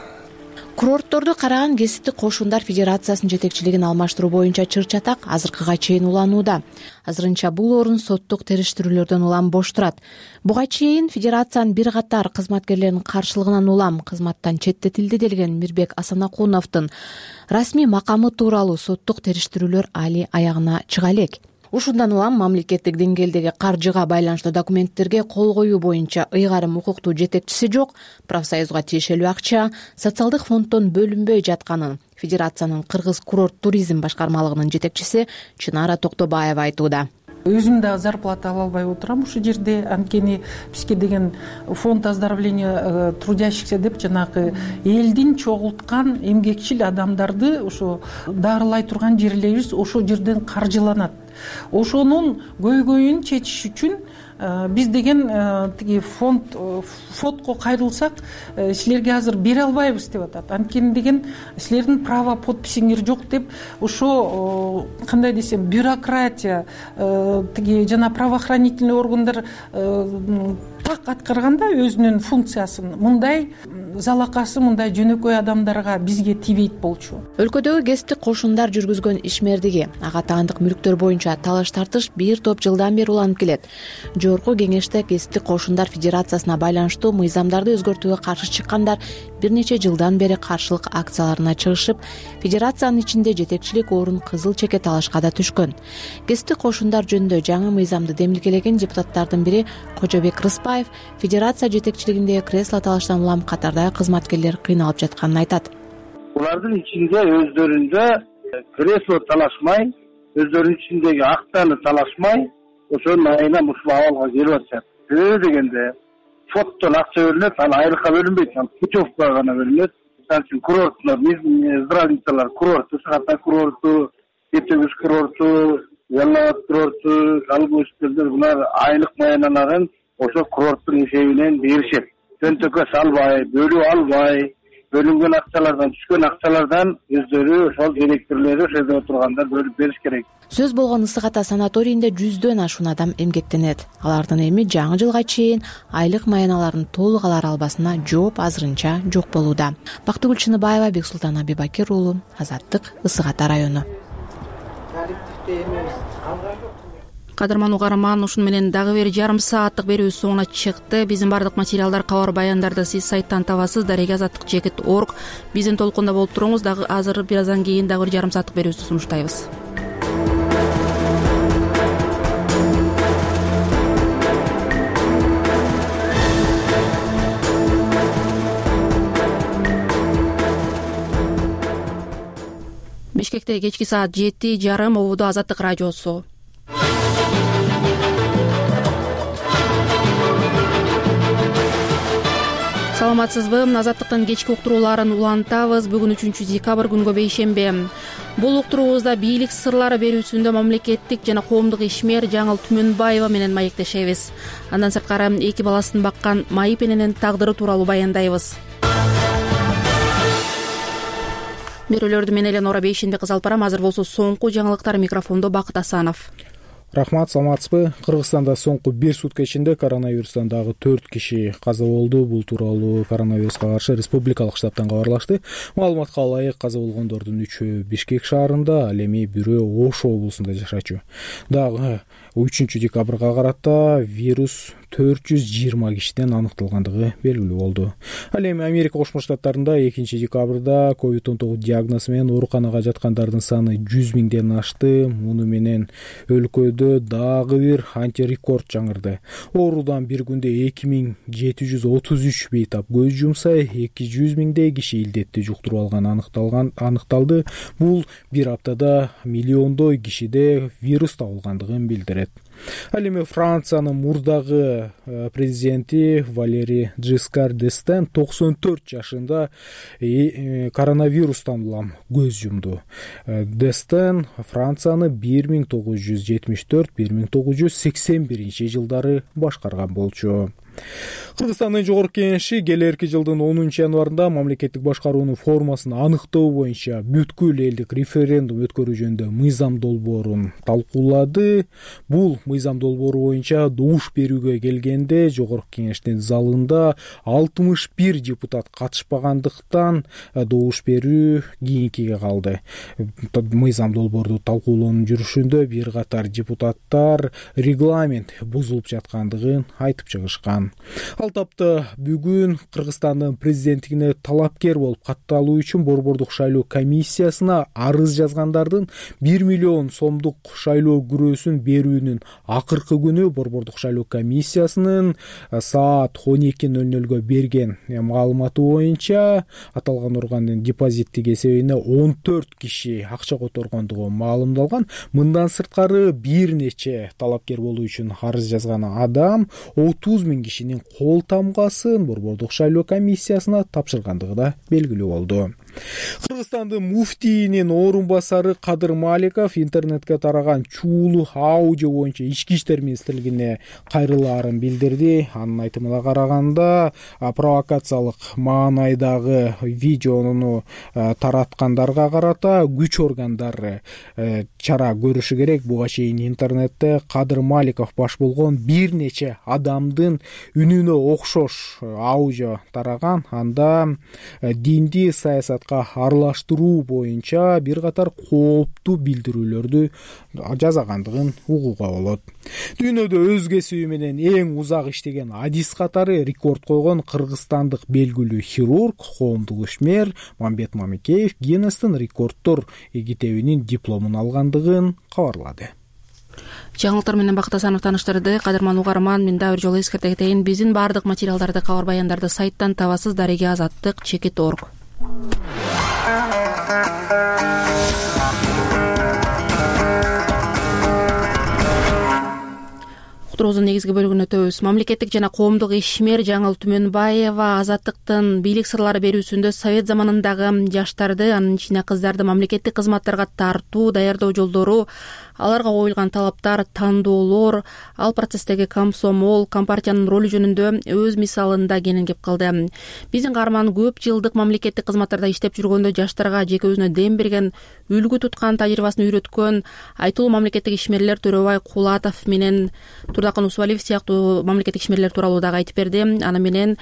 Курортторду караган кесиптик кошундар федерациясынын жетекчилигин алмаштыруу боюнча чыр чатак азыркыга чейин уланууда. Азырынча бул орун соттук териштирүүлөрдөн улам бош турат. Буга чейин федерациянын бир катар кызматкерлеринин каршылыгынан улам кызматтан четтетилди делген Мирбек Асанакуновдун расмий макамы тууралуу соттук териштирүүлөр али аягына чыга элек. Ушундан улам мамлекеттик деңгээлдеги каржыга байланыштуу документтерге кол коюу боюнча ыйгарым укуктуу жетекчиси жок, профсоюзга тиешелүү акча социалдык фонддон бөлүнбөй жатканын федерациянын Кыргыз курорт туризм башкармалыгынын жетекчиси Чынара Токтобаева айтууда. Өзүм дагы зарплата ала албай отурам ушул жерде, анткени бизге деген фонд оздоровления трудящихся деп жанагы элдин чогулткан эмгекчил адамдарды ошо дарылай турган жерлерибиз ошол жерден каржыланат. Ошонун көйгөйүн чечиш үчүн биз деген тиги фонд фондго кайрылсак, силерге азыр бере албайбыз деп атат. Анткени деген силердин право подписиңер жок деп ошо кандай десем бюрократия тиги жана правоохранительный органдар так аткарганда өзүнүн функциясын мындай залакасы мындай жөнөкөй адамдарга бизге тийбейт болчу. Өлкөдөгү кесиптик кошундар жүргүзгөн ишмердиги, ага таандык мүлктөр боюнча талаш тартыш бир топ жылдан бери уланып келет. Жогорку кеңеште кесиптик кошундар федерациясына байланыштуу мыйзамдарды өзгөртүүгө каршы чыккандар бир нече жылдан бери каршылык акцияларына чыгышып, федерациянын ичинде жетекчилик орун кызыл чеке талашка да түшкөн. Кесиптик кошундар жөнүндө жаңы мыйзамды демилгелеген депутаттардын бири Кожобек Рыспаев федерация жетекчилигиндеги кресло талаштан улам катардагы кызматкерлер кыйналып жатканын айтат. Булардын ичинде өздөрүндө кресло талашмай, өздөрүнүн ичиндеги актаны талашмай, ошонун айынан ушул абалга келип атышат. Себеби дегенде фонддон акча бөлүнөт, ал айлыкка бөлүнбөйт, ал путевкага гана бөлүнөт. Мисалы үчүн курорттор, здравницалар, курорту, Сахата курорту, Этегүз курорту, Ялалабад курорту, Калбыштылдар булар айлык маянанарын ошо курорттун эсебинен беришет. Төнтөккө салбай, бөлүп албай, бөлүнгөн акчалардан, түшкөн акчалардан өздөрү ошол директорлору ошол жерде отургандар бөлүп бериш керек. Сөз болгон Ысык Ата санаторийинде жүздөн ашуун адам эмгектенет. Алардын эми жаңы жылга чейин айлык маяналарын толук алар албасына жооп азырынча жок болууда. Бактыгүл Чыныбаева, Бексултан Абибакир уулу, Азаттык, Ысык Ата району. Кадырман угарман, ушуну менен дагы бир жарым сааттык берүүбүз соңуна чыкты. Биздин бардык материалдар, кабар баяндарды сиз сайттан табасыз, дареге азаттык чекит точка орг. Биздин толкунда болуп туруңуз. Дагы азыр бир аздан кийин дагы бир жарым сааттык берүүбүздү сунуштайбыз. Бишкекте кечки саат жети жарым ободо Азаттык радиосу. Саламатсызбы? Азаттыктын кечки уктурууларын улантабыз. Бүгүн үчүнчү декабрь күнгө бейшемби. Бул уктуруубузда бийлик сырлары берүүсүндө мамлекеттик жана коомдук ишмер Жаңыл Түмөнбаева менен маектешебиз. Андан сырткары эки баласын баккан Майып эненин тагдыры тууралуу баяндайбыз. Берүүлөрдү мен Эленора Бейшенбек кызы алып барам. Азыр болсо соңку жаңылыктар. Микрофондо Бакыт Асанов. Рахмат, саламатсызбы? Кыргызстанда соңку бир сутка ичинде коронавирустан дагы төрт киши каза болду. Бул тууралуу коронавируска каршы республикалык штабтан кабарлашты. Маалыматка ылайык, каза болгондордун үчөө Бишкек шаарында, ал эми бирөө Ош облусунда жашачу. Дагы үчүнчү декабрга карата вирус төрт жүз жыйырма кишиден аныкталгандыгы белгилүү болду. Ал эми Америка Кошмо Штаттарында экинчи декабрда ковид он тогуз диагнозу менен ооруканага жаткандардын саны жүз миңден ашты. Муну менен өлкөдө дагы бир антирекорд жаңырды. Оорудан бир күндө эки миң жети жүз отуз үч бейтап көз жумса, эки жүз миңдей киши илдетти жуктуруп алган аныкталган аныкталды. Бул бир аптада миллиондой кишиде вирус табылгандыгын билдирет. Ал эми Франциянын мурдагы президенти Валери Жискар д'Эстен токсон төрт жашында коронавирустан улам көз жумду. Д'Эстен Францияны бир миң тогуз жүз жетимиш төрт — бир миң тогуз жүз сексен биринчи жылдары башкарган болчу. Кыргызстандын жогорку кеңеши келерки жылдын онунчу январында мамлекеттик башкаруунун формасын аныктоо боюнча бүткүл элдик референдум өткөрүү жөнүндө мыйзам долбоорун талкуулады. Бул мыйзам долбоору боюнча добуш берүүгө келгенде жогорку кеңештин залында алтымыш бир депутат катышпагандыктан добуш берүү кийинкиге калды. Мыйзам долбоорду талкуулоонун жүрүшүндө бир катар депутаттар регламент бузулуп жаткандыгын айтып чыгышкан. Ал тапта бүгүн Кыргызстандын президенттигине талапкер болуп катталуу үчүн Борбордук шайлоо комиссиясына арыз жазгандардын бир миллион сомдук шайлоо күрөөсүн берүүнүн акыркы күнү Борбордук шайлоо комиссиясынын саат он эки ноль нолго берген маалыматы боюнча аталган органдын депозиттик эсебине он төрт киши акча которгондугу маалымдалган. Мындан сырткары бир нече талапкер болуу үчүн арыз жазган адам отуз миң кишинин кол тамгасын Борбордук шайлоо комиссиясына тапшыргандыгы да белгилүү болду. Кыргызстандын муфтийинин орун басары Кадыр Маликов интернетке тараган чуулуу аудио боюнча ички иштер министрлигине кайрылаарын билдирди. Анын айтымына караганда провокациялык маанайдагы видеону тараткандарга карата күч органдары чара көрүшү керек. Буга чейин интернетте Кадыр Маликов баш болгон бир нече адамдын үнүнө окшош аудио тараган. Анда динди саясат аралаштыруу боюнча бир катар кооптуу билдирүүлөрдү жазагандыгын угууга болот. Дүйнөдө өз кесиби менен эң узак иштеген адис катары рекорд койгон кыргызстандык белгилүү хирург, коомдук ишмер Мамбет Мамикеев Гиннестин рекорддор китебинин дипломун алгандыгын кабарлады. Жаңылыктар менен Бакыт Асанов тааныштырды. Кадырман угарман, мен дагы бир жолу эскерте кетейин. Биздин баардык материалдарды, кабар баяндарды сайттан табасыз. Дареге азаттык чекит точка орг. Уктуруубуздун негизги бөлүгүнө өтөбүз. Мамлекеттик жана коомдук ишмер Жаңыл Түмөнбаева Азаттыктын бийлик сырлары берүүсүндө совет заманындагы жаштарды, анын ичине кыздарды мамлекеттик кызматтарга тартуу, даярдоо жолдору, аларга коюлган талаптар, тандоолор, ал процесстеги комсомол, компартиянын ролу жөнүндө өз мисалында кеңингеп калды. Биздин каарман көп жылдык мамлекеттик кызматтарда иштеп жүргөндө жаштарга жеке өзүнө дем берген, үлгү туткан, тажрыйбасын үйрөткөн айтылуу мамлекеттик ишмерлер Төрөбай Кулатов менен Турдакын Усубалиев сыяктуу мамлекеттик ишмерлер тууралуу дагы айтып берди. Аны менен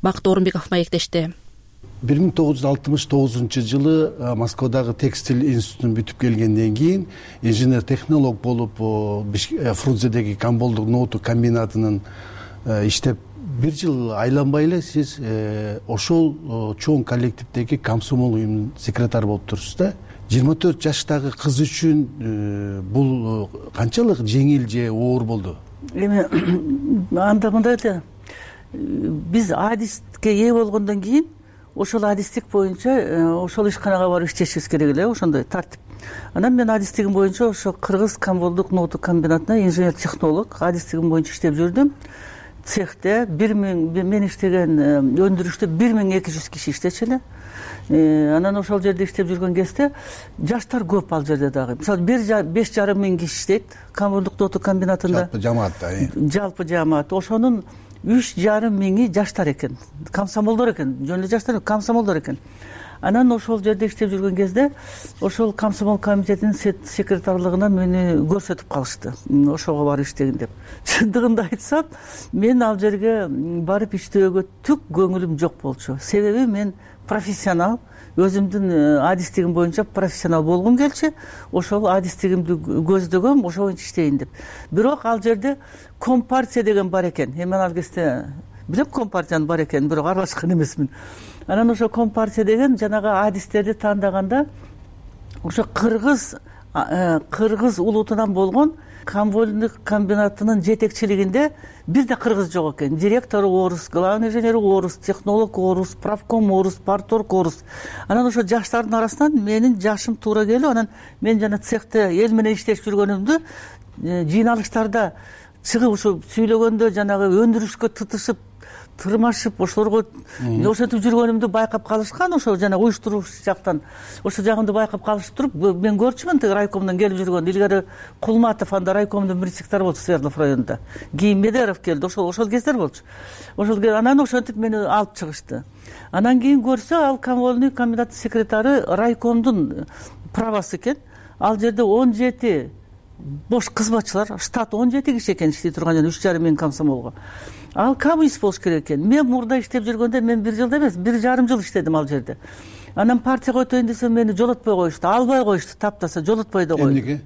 Бакыт Орунбеков маектешти. бир миң тогуз жүз алтымыш тогузунчу жылы Москвадагы текстиль институтун бүтүп келгенден кийин инженер технолог болуп Фрунзедеги комболдук ноуту комбинатынын иштеп бир жыл айланбай эле сиз ошол чоң коллективдеги комсомол уюмунун секретары болуп турсуз да. жыйырма төрт жаштагы кыз үчүн бул канчалык жеңил же оор болду? Эми анда мындай эле биз адиске ээ болгондон кийин ошол адистик боюнча ошол ишканага барып иштешибиз керек эле, ошондой тартип. Анан мен адистигим боюнча ошо Кыргыз Камболдук ноуту комбинатына инженер технолог адистигим боюнча иштеп жүрдүм. Цехте бир миң мен иштеген өндүрүштө бир миң эки жүз киши иштечү эле. Анан ошол жерде иштеп жүргөн кезде жаштар көп ал жерде дагы. Мисалы беш жарым миң киши иштейт Камболдук ноуту комбинатында. Жалпы жамаатта. Жалпы жамаат. Ошонун үч жарым миңи жаштар экен. Комсомолдор экен. Жөн эле жаштар, комсомолдор экен. Анан ошол жерде иштеп жүргөн кезде ошол комсомол комитетинин секретарлыгына мени көрсөтүп калышты. Ошого барып иштегин деп. Чындыгында айтсам, мен ал жерге барып иштөөгө түк көңүлүм жок болчу. Себеби мен профессионал, өзүмдүн адистигим боюнча профессионал болгум келчү. Ошол адистигимди көздөгөм, ошо боюнча иштейин деп. Бирок ал жерде компартия деген бар экен. Эми ал кезде билем компартиянын бар экенин, бирок аралашкан эмесмин. Анан ошо компартия деген жанагы адистерди тандаганда ошо кыргыз кыргыз улутунан болгон Камболдук комбинатынын жетекчилигинде бир да кыргыз жок экен. Директору орус, главный инженери орус, технолог орус, правком орус, парторг орус. Анан ошо жаштардын арасынан менин жашым туура келип, анан мен жана цехте эл менен иштешип жүргөнүмдү жыйналыштарда чыгып ушу сүйлөгөндө жанагы өндүрүшкө тытышып тырмашып ошолорго ошентип жүргөнүмдү байкап калышкан, ошо жана уюштурууч жактан ошо жагымды байкап калышып туруп, мен көрчүмүн тиги райкомдон келип жүргөн. Илгери Кулматов анда райкомдун биринчи секретары болчу Свердлов районунда. Кийин Медеров келди, ошол ошол кездер болчу. Ошол анан ошентип мени алып чыгышты. Анан кийин көрсө, ал Камболдук комбинаттын секретары райкомдун правасы экен. Ал жерде он жети бош кызматчылар, штат он жети киши экен иштей турган, жана үч жарым миң комсомолго. Ал коммунист болуш керек экен. Мен мурда иштеп жүргөндө мен бир жылда эмес, бир жарым жыл иштедим ал жерде. Анан партияга өтөйүн десем мени жолотпой коюшту, албай коюшту, таптаса жолотпой да койду. Эмнеге?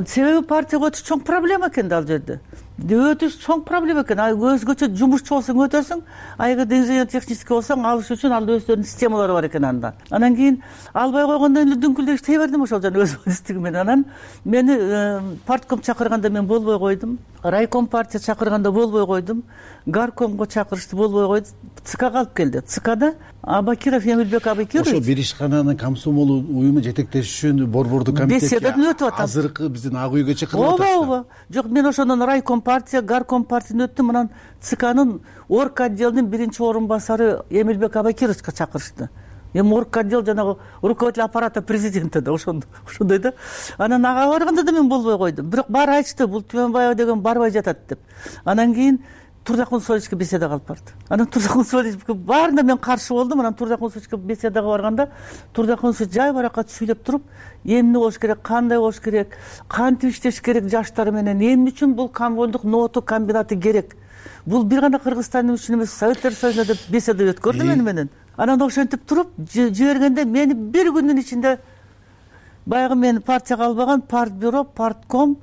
Себеби партияга өтүш чоң проблема экен ал жерде. Өтүш чоң проблема экен. Өзгөчө жумушчу болсоң өтөсүң, а эгерде инженер технический болсоң, алыш үчүн ал өздөрүнүн системалары бар экен анда. Анан кийин албай койгондон кийин дүңкүлдөп иштей бердим ошол жана өз адистигим менен. Анан мени партком чакырганда мен болбой койдум. Райком партия чакырганда болбой койдум. Гаркомго чакырышты, болбой койду. ЦКга алып келди. ЦКда Абакиров Эмилбек Абакирович ошо бир ишкананын комсомол уюму жетектеши үчүн борбордук комитетке беседадан өтүп атат. Азыркы биздин ак үйгө чакырып атат. Ооба, ооба. Жок, мен ошондон райком партия, гарком партиядан өттүм. Анан ЦКнын орг отделдин биринчи орун басары Эмилбек Абакировичке чакырышты. Эми орг отдел жанагы руководитель аппарата президента да ошондой ошондой да. Анан ага барганда да мен болбой койдум. Бирок баары айтышты, бул Түмөнбаева деген барбай жатат деп. Анан кийин Турдакун Сольевичке беседага алып барды. Анан Турдакун Сольевичке баарына мен каршы болдум. Анан Турдакун Сольевичке беседага барганда Турдакун Сольевич жай баракат сүйлөп туруп, эмне болуш керек, кандай болуш керек, кантип иштеш керек жаштар менен, эмне үчүн бул Камболдук ноуту комбинаты керек. Бул бир гана Кыргызстандын үчүн эмес, Советтер Союзунда деп беседа өткөрдү мени менен. Анан ошентип туруп жибергенде мени бир күндүн ичинде баягы мени партияга албаган партбюро, партком,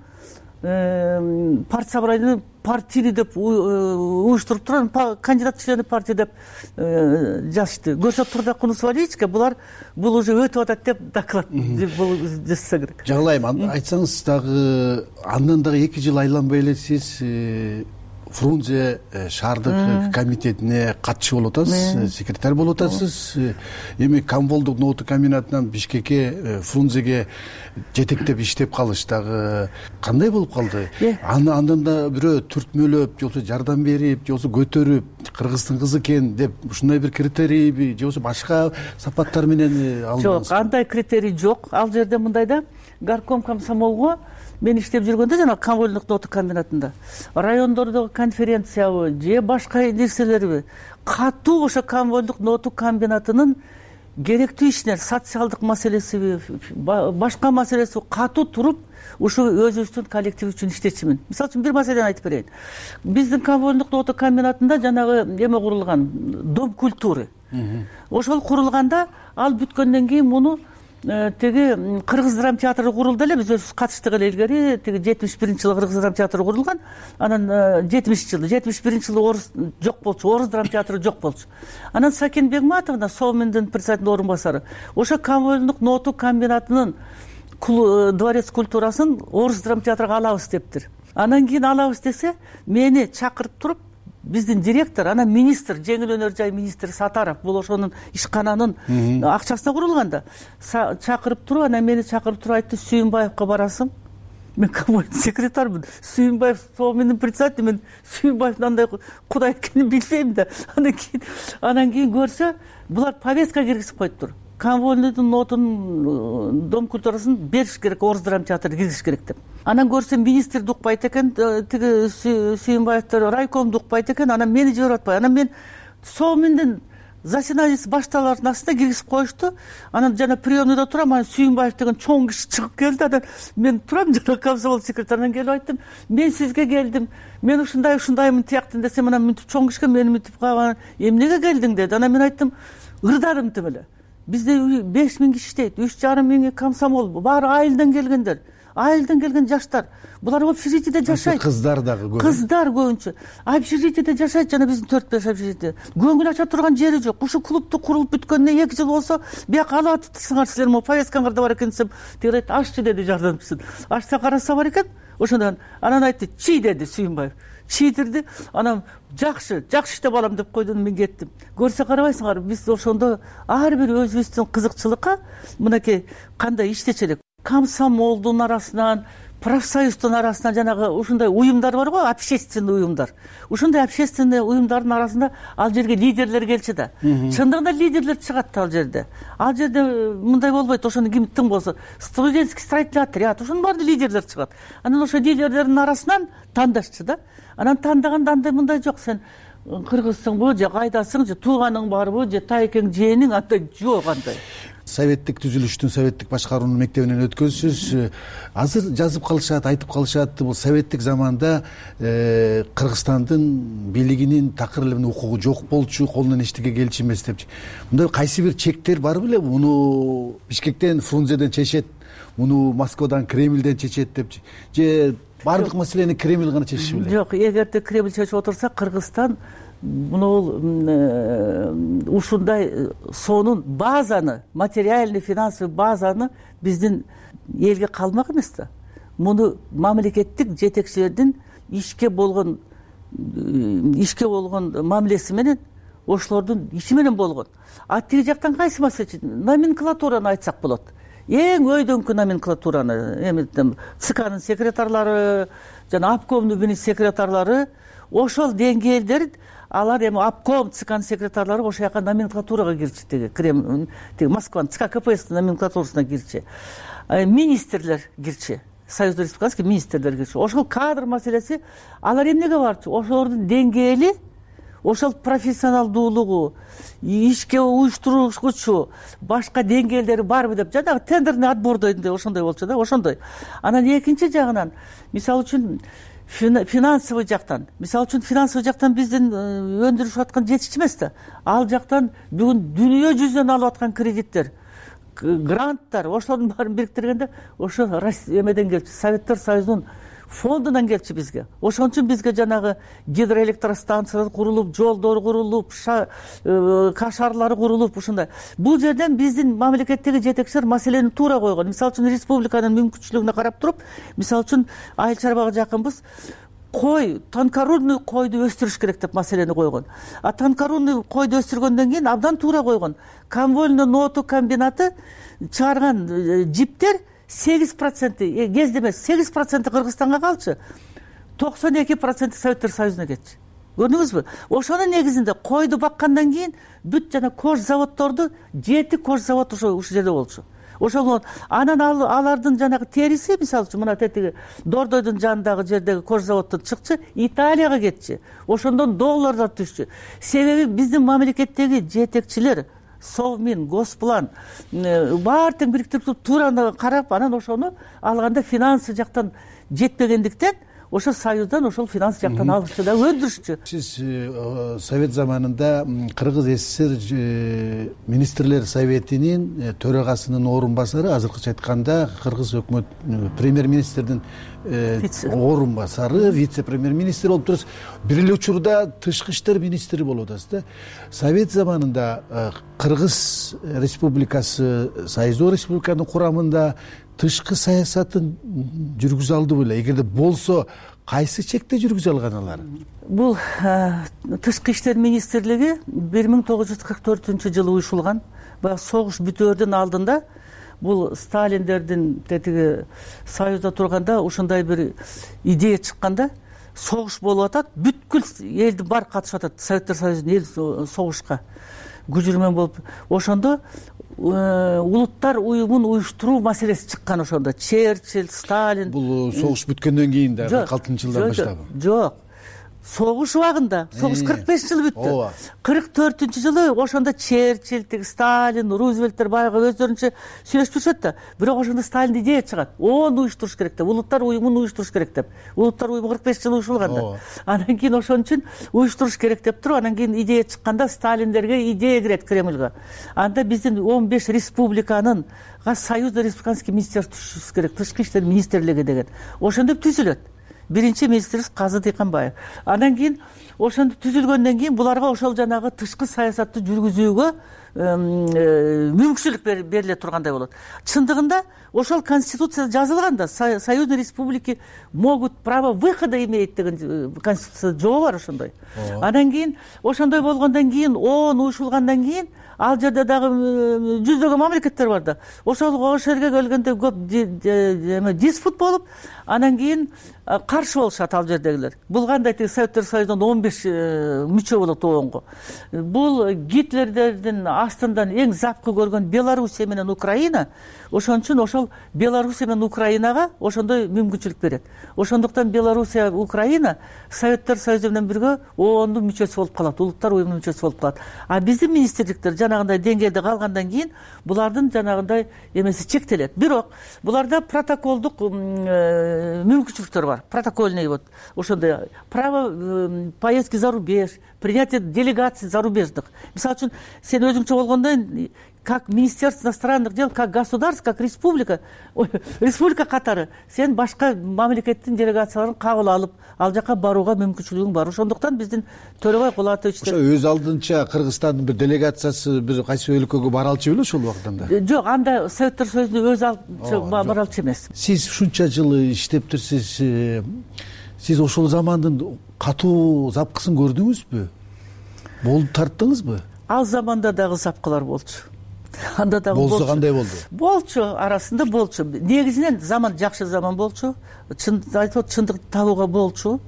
партсобраниянын партийный деп уюштуруп турган кандидат члены партия деп жазышты. Көрсө Турдакун Усвалиевичке булар бул уже өтүп атат деп доклад жазса керек. Жагылайм, айтсаңыз дагы андан дагы эки жыл айланбай эле сиз Фрунзе шаардык комитетине катчы болуп атасыз, секретарь болуп атасыз. Эми Камболдук ноуту комбинатынан Бишкекке, Фрунзеге жетектеп иштеп калыш дагы кандай болуп калды? Андан да бирөө түртмөлөп, же болбосо жардам берип, же болбосо көтөрүп, Кыргыздын кызы экен деп ушундай бир критерийби, же болбосо башка сапаттар менен алдыңыз? Жок, андай критерий жок. Ал жерде мындай да, горком комсомолго мен иштеп жүргөндө жана Камболдук ноуту комбинатында райондордогу конференциябы же башка нерселерби катуу ошо Камболдук ноуту комбинатынын керектүү ишине, социалдык маселесиби, башка маселеси катуу туруп, ушу өзүбүздүн коллектив үчүн иштечимин. Мисалы үчүн бир маселени айтып берейин. Биздин Камболдук ноуту комбинатында жанагы эме курулган, дом культуры. Ошол курулганда ал бүткөндөн кийин муну тиги Кыргыз драма театры курулду эле, биз өзүбүз катыштык эле илгери. Тиги жетимиш биринчи жылы Кыргыз драма театры курулган. Анан жетимишинчи жылы, жетимиш биринчи жылы орус жок болчу, орус драма театры жок болчу. Анан Сакен Бегматовна, Совминдин председатель орун басары, ошо Камболдук ноуту комбинатынын дворец культурасын орус драма театрга алабыз дептир. Анан кийин алабыз десе, мени чакырып туруп, биздин директор, анан министр, жеңил өнөр жай министри Сатаров, бул ошонун ишкананын акчасына курулган да, чакырып туруп, анан мени чакырып туруп айтты, Сүйүнбаевка барасың. Мен коммунальный секретармын, Сүйүнбаев сол менин председатель, мен Сүйүнбаевдин андай кудай экенин билбейм да. Анан кийин анан кийин көрсө, булар повестка киргизип коюптур. Конвойныйдын нотун, дом культурасын бериш керек, орус драма театрына киргизиш керек деп. Анан көрсөм, министрди укпайт экен, тиги Сүйүнбаевдер райкомду укпайт экен, анан мени жиберип атпай. Анан мен сол менден заседаниясы башталардын астында киргизип коюшту. Анан жана приемныйда турам, анан Сүйүнбаев деген чоң киши чыгып келди. Анан мен турам, жана комсомол секретарынан келип айттым, мен сизге келдим, мен ушундай ушундаймын тияктын десем, анан мынтип чоң кишиге мени мынтип калган, эмнеге келдиң деди. Анан мен айттым, ырдарым тим эле. Бизде беш миң киши иштейт, үч жарым миңи комсомол, баары айылдан келгендер, айылдан келген жаштар. Булар общежитиеде жашайт. Кыздар дагы көп. Кыздар көбүнчө общежитиеде жашайт, жана биздин төрт беш общежитие. Көңүл ача турган жери жок. Ушу клубду курулуп бүткөнүнө эки жыл болсо, бияка алып атыпсыңар силер, могу повесткаңарда бар экен десем, тиги айтты, ашчы деди жардамчысын. Ашса караса бар экен. Ошондон анан айтты, чи деди Сүйүнбаев. Чийдирди, анан жакшы, жакшы иштеп алам деп койду, мен кеттим. Көрсө карабайсыңар, биз ошондо ар бир өзүбүздүн кызыкчылыкка мынакей кандай иштечү элек. Комсомолдун арасынан, профсоюздун арасынан жанагы ушундай уюмдар бар го, общественный уюмдар. Ушундай общественный уюмдардын арасында ал жерге лидерлер келчү да. Чындыгында лидерлер чыгат ал жерде. Ал жерде мындай болбойт, ошону ким тың болсо, студенческий строительный отряд, ошонун баары лидерлер чыгат. Анан ошо лидерлердин арасынан тандашчы да. Анан тандаганда андай мындай жок, сен кыргызсыңбы, же кайдасың, же тууганың барбы, же тайкең жээниң, андай жок андай. Советтик түзүлүштүн, советтик башкаруунун мектебинен өткөнсүз. Азыр жазып калышат, айтып калышат, бул советтик заманда Кыргызстандын бийлигинин такыр эле укугу жок болчу, колунан эчтеке келчү эмес депчи. Мындай кайсы бир чектер бар беле? Муну Бишкектен, Фрунзеден чечет, муну Москвадан, Кремльден чечет депчи. Же баардык маселени Кремль гана чечиши беле? Жок, эгерде Кремль чечип отурса, Кыргызстан муну ушундай сонун базаны, материальный, финансовый базаны биздин элге калмак эмес да. Муну мамлекеттик жетекчилердин ишке болгон ишке болгон мамилеси менен, ошолордун иши менен болгон. А тиги жактан кайсы маселе? Номенклатураны айтсак болот. Эң өйдөңкү номенклатураны, эми ЦКнын секретарлары, жана обкомдун бир секретарлары, ошол деңгээлдер, алар эми обком, ЦКнын секретарлары ошол жака номенклатурага кирчи, тиги Кремль, тиги Москванын ЦК КПСС номенклатурасына кирчи. Министрлер кирчи, Союз республикасынын министрлери кирчи. Ошол кадр маселеси, алар эмнеге барчу? Ошолордун деңгээли, ошол профессионалдуулугу, ишке уюштуруучу башка деңгээлдери барбы деп, жанагы тендерный отбордой ошондой болчу да, ошондой. Анан экинчи жагынан, мисалы үчүн финансовый жактан, мисалы үчүн финансовый жактан биздин өндүрүшүп аткан жетишчи эмес да. Ал жактан бүгүн дүйнө жүзүнөн алып аткан кредиттер, гранттар, ошолордун баарын бириктиргенде, ошо эмеден келчү, Советтер Союзунун фондунан келчи бизге. Ошон үчүн бизге жанагы гидроэлектростанциялар курулуп, жолдор курулуп, кашарлары курулуп, ушундай. Бул жерден биздин мамлекеттеги жетекчилер маселени туура койгон. Мисалы үчүн республиканын мүмкүнчүлүгүнө карап туруп, мисалы үчүн айыл чарбага жакынбыз, кой, тонкорунный койду өстүрүш керек деп маселени койгон. А тонкорунный койду өстүргөндөн кийин абдан туура койгон. Конвольный ноту комбинаты чыгарган жиптер сегиз проценти, кезде эмес, сегиз проценти Кыргызстанга калчы, токсон эки проценти Советтер Союзуна кетчи. Көрдүңүзбү? Ошонун негизинде койду баккандан кийин бүт жана кож заводдорду, жети кож завод ошо ушул жерде болчу. Ошол анан алардын жанагы териси, мисалы үчүн мына тетиги Дордойдун жанындагы жердеги кож заводдон чыкчы, Италияга кетчи. Ошондон долларлар түшчү. Себеби биздин мамлекеттеги жетекчилер, Совмин, Госплан баары тең бириктирип туура карап, анан ошону алганда финансы жактан жетпегендиктен ошо Союздан ошол финанс жактан алышчу да, өндүрүшчү. Сиз Совет заманында Кыргыз СССР министрлер советинин төрагасынын орун басары, азыркыча айтканда Кыргыз өкмөт премьер-министрдин орун басары, вице-премьер-министр болуп турасыз. Бир эле учурда тышкы иштер министри болуп атасыз да. Совет заманында Кыргыз республикасы, Союздук республиканын курамында тышкы саясатын жүргүзө алды беле? Эгерде болсо, кайсы чекте жүргүзө алган алар? Бул Тышкы иштер министрлиги бир миң тогуз жүз кырк төртүнчү жылы уюшулган. Баягы согуш бүтөөрдүн алдында бул Сталиндердин тетиги Союзда турганда ушундай бир идея чыкканда, согуш болуп атат, бүткүл элдин баары катышып атат, Советтер Союзунун эл согушка күжүрмөн болуп. Ошондо улуттар уюмун уюштуруу маселеси чыккан. Ошондо Черчилль, Сталин. Бул согуш бүткөндөн кийин да, кырк алтынчы жылдан баштап. Жок. Согуш убагында, согуш кырк беш жыл бүттү. кырк төртүнчү жылы ошондо Черчилль, Сталин, Рузвельттер баягы өздөрүнчө сүйлөшүп жүрүшөт да. Бирок ошондо Сталин идея чыгат. Onu уюштуруш керек деп, улуттар уюмун уюштуруш керек деп. Улуттар уюму кырк беш жыл уюшулган да. Анан кийин ошон үчүн уюштуруш керек деп туруп, анан кийин идея чыкканда Сталиндерге идея кирет Кремльге. Анда биздин он беш республиканын Союзда республиканский министерство түзүш керек, Тышкы иштер министрлиги деген. Ошондо түзүлөт. Биринчи министрибиз Казы Дыйканбаев. Андан кийин ошондо түзүлгөндөн кийин буларга ошол жанагы тышкы саясатты жүргүзүүгө мүмкүнчүлүк бериле тургандай болот. Чындыгында ошол конституцияда жазылган да, Союзные республики могут право выхода имеют деген конституцияда жобо бар ошондой. Андан кийин ошондой болгондон кийин он уюшулгандан кийин ал жерде дагы жүздөгөн мамлекеттер бар да. Ошол ошол жерге келгенде көп диспут болуп, анан кийин каршы болушат ал жердегилер. Бул кандай тиги Советтер Союзунун он беш мүчө болот оонго. Бул Гитлердердин астындан эң запкы көргөн Белоруссия менен Украина, ошон үчүн ошол Белоруссия менен Украинага ошондой мүмкүнчүлүк берет. Ошондуктан Белоруссия, Украина Советтер Союзу менен бирге оондун мүчөсү болуп калат, улуттар уюмунун мүчөсү болуп калат. А биздин министрликтер жанагындай деңгээлде калгандан кийин булардын жанагындай эмеси чектелет. Бирок буларда протоколдук мүмкүнчүлүктөр бар. Протокольный вот ошондой право поездки за рубеж, принятие делегаций зарубежных. Мисалы үчүн сен өзүңчө болгондон как Министерство иностранных дел, как государство, как республика, республика катары сен башка мамлекеттин делегацияларын кабыл алып, ал жака барууга мүмкүнчүлүгүң бар. Ошондуктан биздин Төрөбай Кулатовичтер ошо өз алдынча Кыргызстандын бир делегациясы бир кайсы өлкөгө бара алчу беле ошол убактанда? Жок, анда Советтер Союзунун өз алдынча бара алчу эмес. Сиз ушунча жылы иштептирсиз, сиз ошол замандын катуу запкысын көрдүңүзбү? Болуп тарттыңызбы? Ал заманда дагы запкылар болчу. Анда дагы болсо кандай болду? Болчу, арасында болчу. Негизинен заман жакшы заман болчу. Чын айтып, чындык табууга болчу.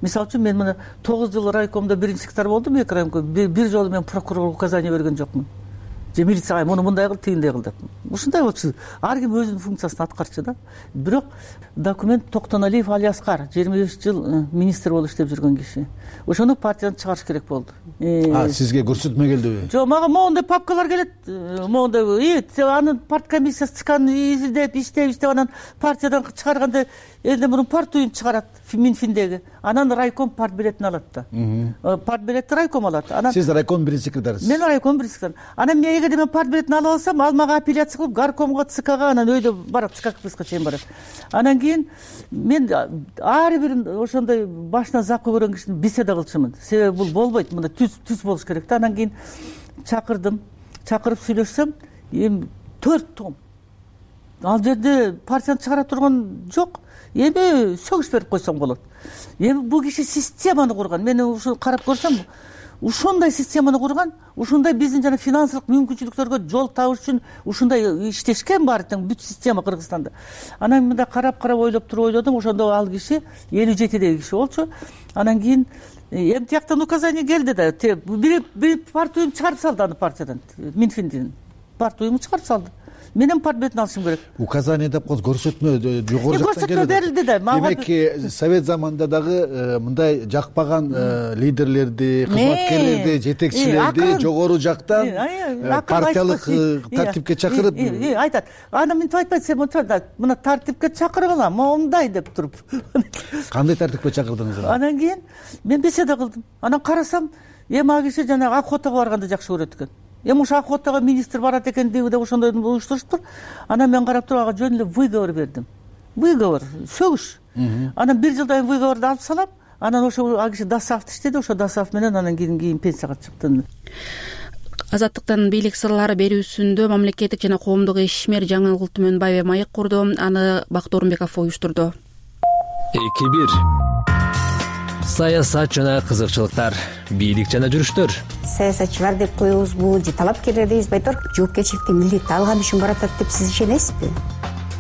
Мисалы үчүн мен мына тогуз жыл райкомдо биринчи сектор болдум, эки райком. Бир жолу мен прокурорго указание берген жокмун. Же милицияга муну мындай кыл, тигиндей кыл деп. Ушундай болчу. Ар ким өзүнүн функциясын аткарчу да. Бирок документ Токтоналиев Алияскар жыйырма беш жыл министр болуп иштеп жүргөн киши. Ошону партиядан чыгарыш керек болду. А сизге көрсөтмө келдиби? Жок, мага моундай папкалар келет. Моундай, анын парт комиссиясы чыккан, изилдеп, иштеп, иштеп анан партиядан чыгарганда элден мурун парт уюм чыгарат, Минфиндеги. Анан райком парт билетин алат да. Парт билетти райком алат. Анан сиз райком биринчи секретарысыз. Мен райком биринчи секретар. Анан мен эгерде мен парт билетин алып алсам, ал мага апелляция кылып, горкомго, ЦКга, анан өйдө барат, ЦК КПССка чейин барат. Анан кийин мен ар бир ошондой башынан запкы көргөн кишини беседа кылчумун. Себеби бул болбойт, мында түз түз болуш керек да. Анан кийин чакырдым, чакырып сүйлөшсөм, эми төрт том. Ал жерде партияны чыгара турган жок. Эми сөгүш берип койсоң болот. Эми бул киши системаны курган. Мен ушу карап көрсөм, ушундай системаны курган, ушундай биздин жана финансылык мүмкүнчүлүктөргө жол табыш үчүн ушундай иштешкен баары тең бүт система Кыргызстанда. Анан мында карап-карап ойлоп туруп ойлодум, ошондо ал киши элүү жетидеги киши болчу. Анан кийин эми тияктан указание келди да, бир бир парт уюм чыгарып салды аны партиядан, Минфиндин парт уюму чыгарып салды. Менин парт билетин алышым керек. Указание деп коюп көрсөтмө жогору жактан келди. Көрсөтмө берилди да. Демек, Совет заманында дагы мындай жакпаган лидерлерди, кызматкерлерди, жетекчилерди жогору жактан партиялык тартипке чакырып айтат. Аны мынтип айтпайт, сен мына тартипке чакыргыла, моундай деп туруп. Кандай тартипке чакырдыңыз? Анан кийин мен беседа кылдым. Анан карасам, эми ал киши жанагы охотага барганды жакшы көрөт экен. Эми ушу охотага министр барат экен деп ошондой уюштуруптур. Анан мен карап туруп ага жөн эле выговор бердим. Выговор, сөгүш. Анан бир жылдан выговорду алып салам. Анан ошо ал киши Досаевди иштеди, ошо Досаев менен анан кийин кийин пенсияга чыктым. Азаттыктын бийлик сырлары берүүсүндө мамлекеттик жана коомдук ишмер жаңылык түмөнбаева маек курду. Аны Бакыт Орунбеков уюштурду. эки бир саясат жана кызыкчылыктар, бийлик жана жүрүштөр. Саясатчылар деп коебузбу же талапкерлер дейбизби, айтор жоопкерчиликти милдетти алган үчүн баратат деп сиз ишенесизби?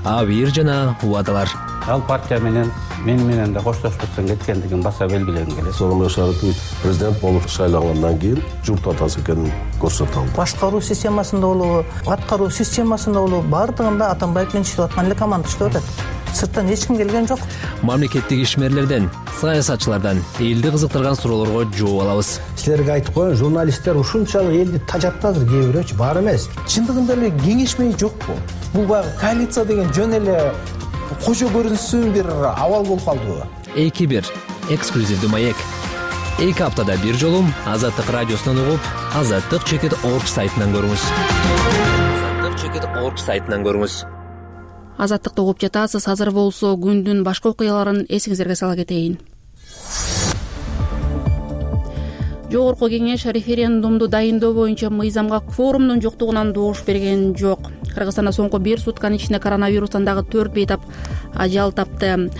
Абийир жана убадалар. Ал партия менен мен менен да коштошпостон кеткендигин баса белгилегим келет. Сооронбай Шарипович президент болуп шайлангандан кийин журт атасы экенин көрсөтө алды. Башкаруу системасында болобу, аткаруу системасында болобу, баардыгында Атамбаев менен иштеп аткан эле команда иштеп атат. Сырттан эч ким келген жок. Мамлекеттик ишмерлерден, саясатчылардан элди кызыктырган суроолорго жооп алабыз. Силерге айтып коеюн, журналисттер ушунчалык элди тажатты азыр, кээ бирөөчү бар эмес. Чындыгында эле кеңешмей жокпу? Бул баягы коалиция деген жөн эле кожо көрүнсүн бир абал болуп калдыбы? эки бир эксклюзивдүү маек. эки аптада бир жолу Азаттык радиосунан угуп, азаттык чекит орг сайтынан көрүңүз. азаттык чекит орг сайтынан көрүңүз. Азаттыкты угуп жатасыз. Азыр болсо күндүн башка окуяларын эсиңиздерге сала кетейин. Жогорку кеңеш референдумду дайындоо боюнча мыйзамга кворумдун жоктугунан добуш берген жок. Кыргызстанда соңку бир сутканын ичинде коронавирустан дагы төрт бейтап ажал тапты.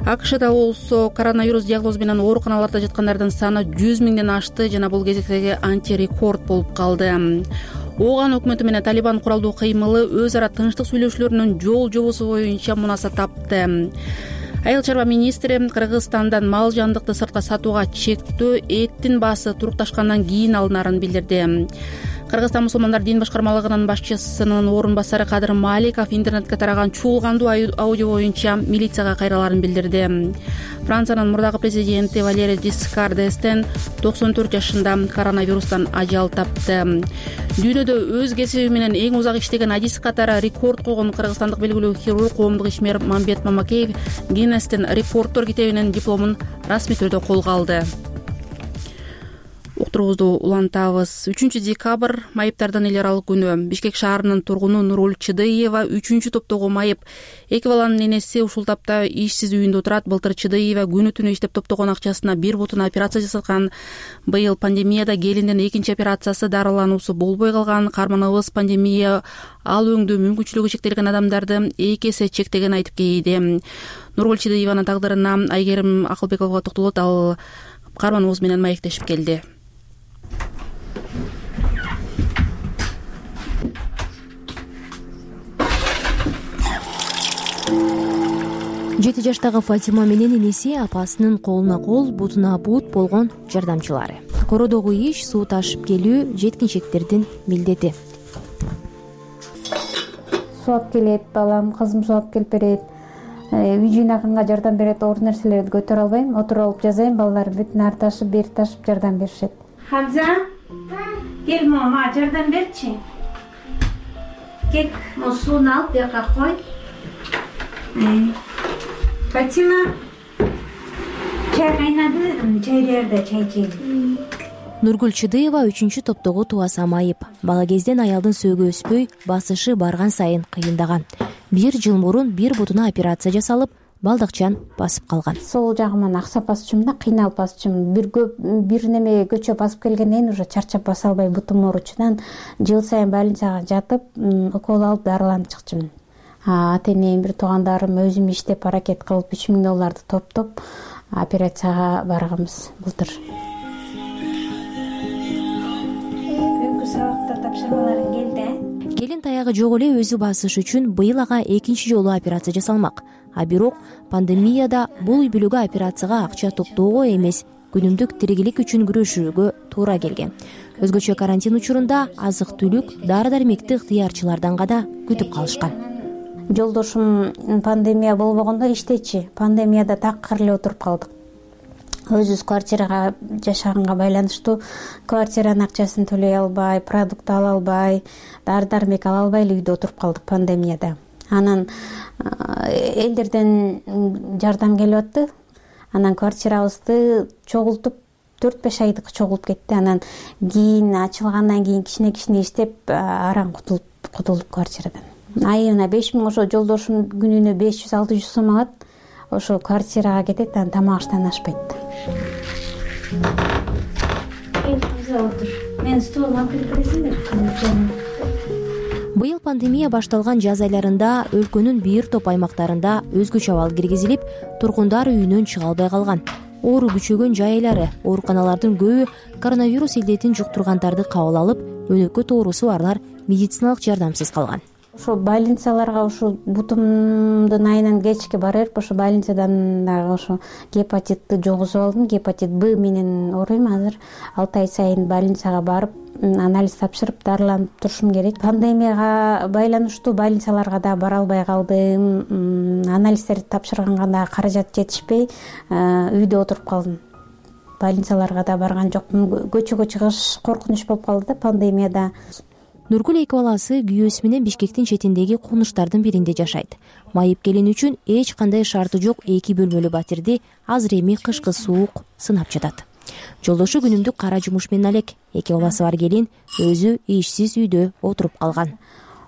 АКШда болсо коронавирус диагнозу менен ооруканаларда жаткандардын саны жүз миңден ашты жана бул кезектеги антирекорд болуп калды. Ооган өкмөтү менен Талибан куралдуу кыймылы өз ара тынчтык сүйлөшүүлөрүнүн жол жобосу боюнча мунаса тапты. Айыл чарба министри Кыргызстандан мал жандыкты сыртка сатууга чектөө эттин баасы турукташкандан кийин алынарын билдирди. Кыргызстан мусулмандар дин башкармалыгынын башчысынын орун басары Кадыр Маликов интернетке тараган чуулгандуу аудио боюнча милицияга кайраларын билдирди. Франциянын мурдагы президенти Валерий Жискар д'Эстен токсон төрт жашында коронавирустан ажал тапты. Дүйнөдө өз кесиби менен эң узак иштеген адис катары рекорд койгон кыргызстандык белгилүү хирург, коомдук ишмер Мамбет Мамакеев Гиннестин рекордтор китебинин дипломун расмий түрдө колго алды. Уктуруубузду улантабыз. үчүнчү декабрь майыптардын эл аралык күнү. Бишкек шаарынын тургуну Нуруль Чыдыева үчүнчү топтогу майып. Эки баланын энеси ушул тапта ишсиз үйүндө отурат. Былтыр Чыдыева күнү түнү иштеп топтогон акчасына бир бутуна операция жасаткан. Быйыл пандемияда келиндин экинчи операциясы дарылануусу болбой калган. Карманыбыз пандемия ал өңдүү мүмкүнчүлүгү чектелген адамдарды эки эсе чектеген айтып кейди. Нуруль Чыдыеванын тагдырына Айгерим Акылбекова токтолот. Ал карманыбыз менен маектешип келди. жети жаштагы Фатима менен энеси апасынын колуна кол, бутуна бут болгон жардамчылары. Кородогу иш, суу ташып келүү жеткинчектердин милдети. Суу алып келет балам, кызым суу алып келип берет. Үй жыйнаганга жардам берет, оор нерселерди көтөрө албайм, отуруп алып жазайм, балдар бүтүн ар ташып, бери ташып жардам беришет. Хамза, кел мама, жардам берчи. Кел, сууну алып бияка кой. Фатима, чай кайнады, чай даярда, чай чейин. Нургүл Чыдыева үчүнчү топтогу тубаса майып. Бала кезден аялдын сөөгү өспөй, басышы барган сайын кыйындаган. Бир жыл мурун бир бутуна операция жасалып, балдыкчан басып калган. Сол жагыман аксап басчумун да, кыйналып басчумун. Бир көп бир неме көчө басып келгенден уже чарчап баса албай бутум ооручунан жыл сайын больницага жатып, укол алып дарыланып чыкчумун. Ата-энем, бир туугандарым, өзүм иштеп аракет кылып үч миң долларды топтоп операцияга барганбыз былтыр. Бүгүнкү сабакта тапшырмаларың келди? Келин таягы жок эле өзү басыш үчүн быйыл ага экинчи жолу операция жасалмак. А бирок пандемияда бул үй бүлөгө операцияга акча топтоого эмес, күнүмдүк тиригилик үчүн күрөшүүгө туура келген. Өзгөчө карантин учурунда азык-түлүк, дары-дармекти ыктыярчылардан гана күтүп калышкан. Жолдошум пандемия болбогондо иштечи, пандемияда такыр эле отуруп калдык. Өзүбүз квартирага жашаганга байланыштуу квартиранын акчасын төлөй албай, продукт ала албай, дары-дармек ала албай эле үйдө отуруп калдык пандемияда. Анан элдерден жардам келип атты. Анан квартирабызды чогултуп төрт беш айдык чогулуп кетти. Анан кийин ачылгандан кийин кичине-кичине иштеп араң кутулуп кутулдук квартирадан. Айына беш миң, ошо жолдошум күнүнө беш жүз алты жүз сом алат. Ошо квартирага кетет, анан тамак аштан ашпайт. Мен стол алып келип бересиңер. Быйыл пандемия башталган жаз айларында өлкөнүн бир топ аймактарында өзгөчө абал киргизилип, тургундар үйүнөн чыга албай калган. оору күчөгөн жайлары, ооруканалардын көбү коронавирус илдетин жуктургандарды кабыл алып, өнөкөт оорусу барлар медициналык жардамсыз калган. Ошо больницаларга ушу бутумдун айынан кечке бара берип, ошо больницадан дагы ошо гепатитти жугузуп алдым. Гепатит Б менен ооруйм. Азыр алты ай сайын больницага барып, анализ тапшырып, дарыланып турушум керек. Пандемияга байланыштуу больницаларга да бара албай калдым. Анализдерди тапшырганга да каражат жетишпей, үйдө отуруп калдым. Больницаларга да барган жокмун. Көчөгө чыгыш коркунуч болуп калды да пандемияда. Нургүл эки баласы күйөөсү менен Бишкектин четиндеги кунуштардын биринде жашайт. Майып келин үчүн эч кандай шарты жок эки бөлмөлүү батирди азыр эми кышкы суук сынап жатат. Жолдошу күнүмдүк кара жумуш менен алек. Эки баласы бар келин өзү ишсиз үйдө отуруп калган.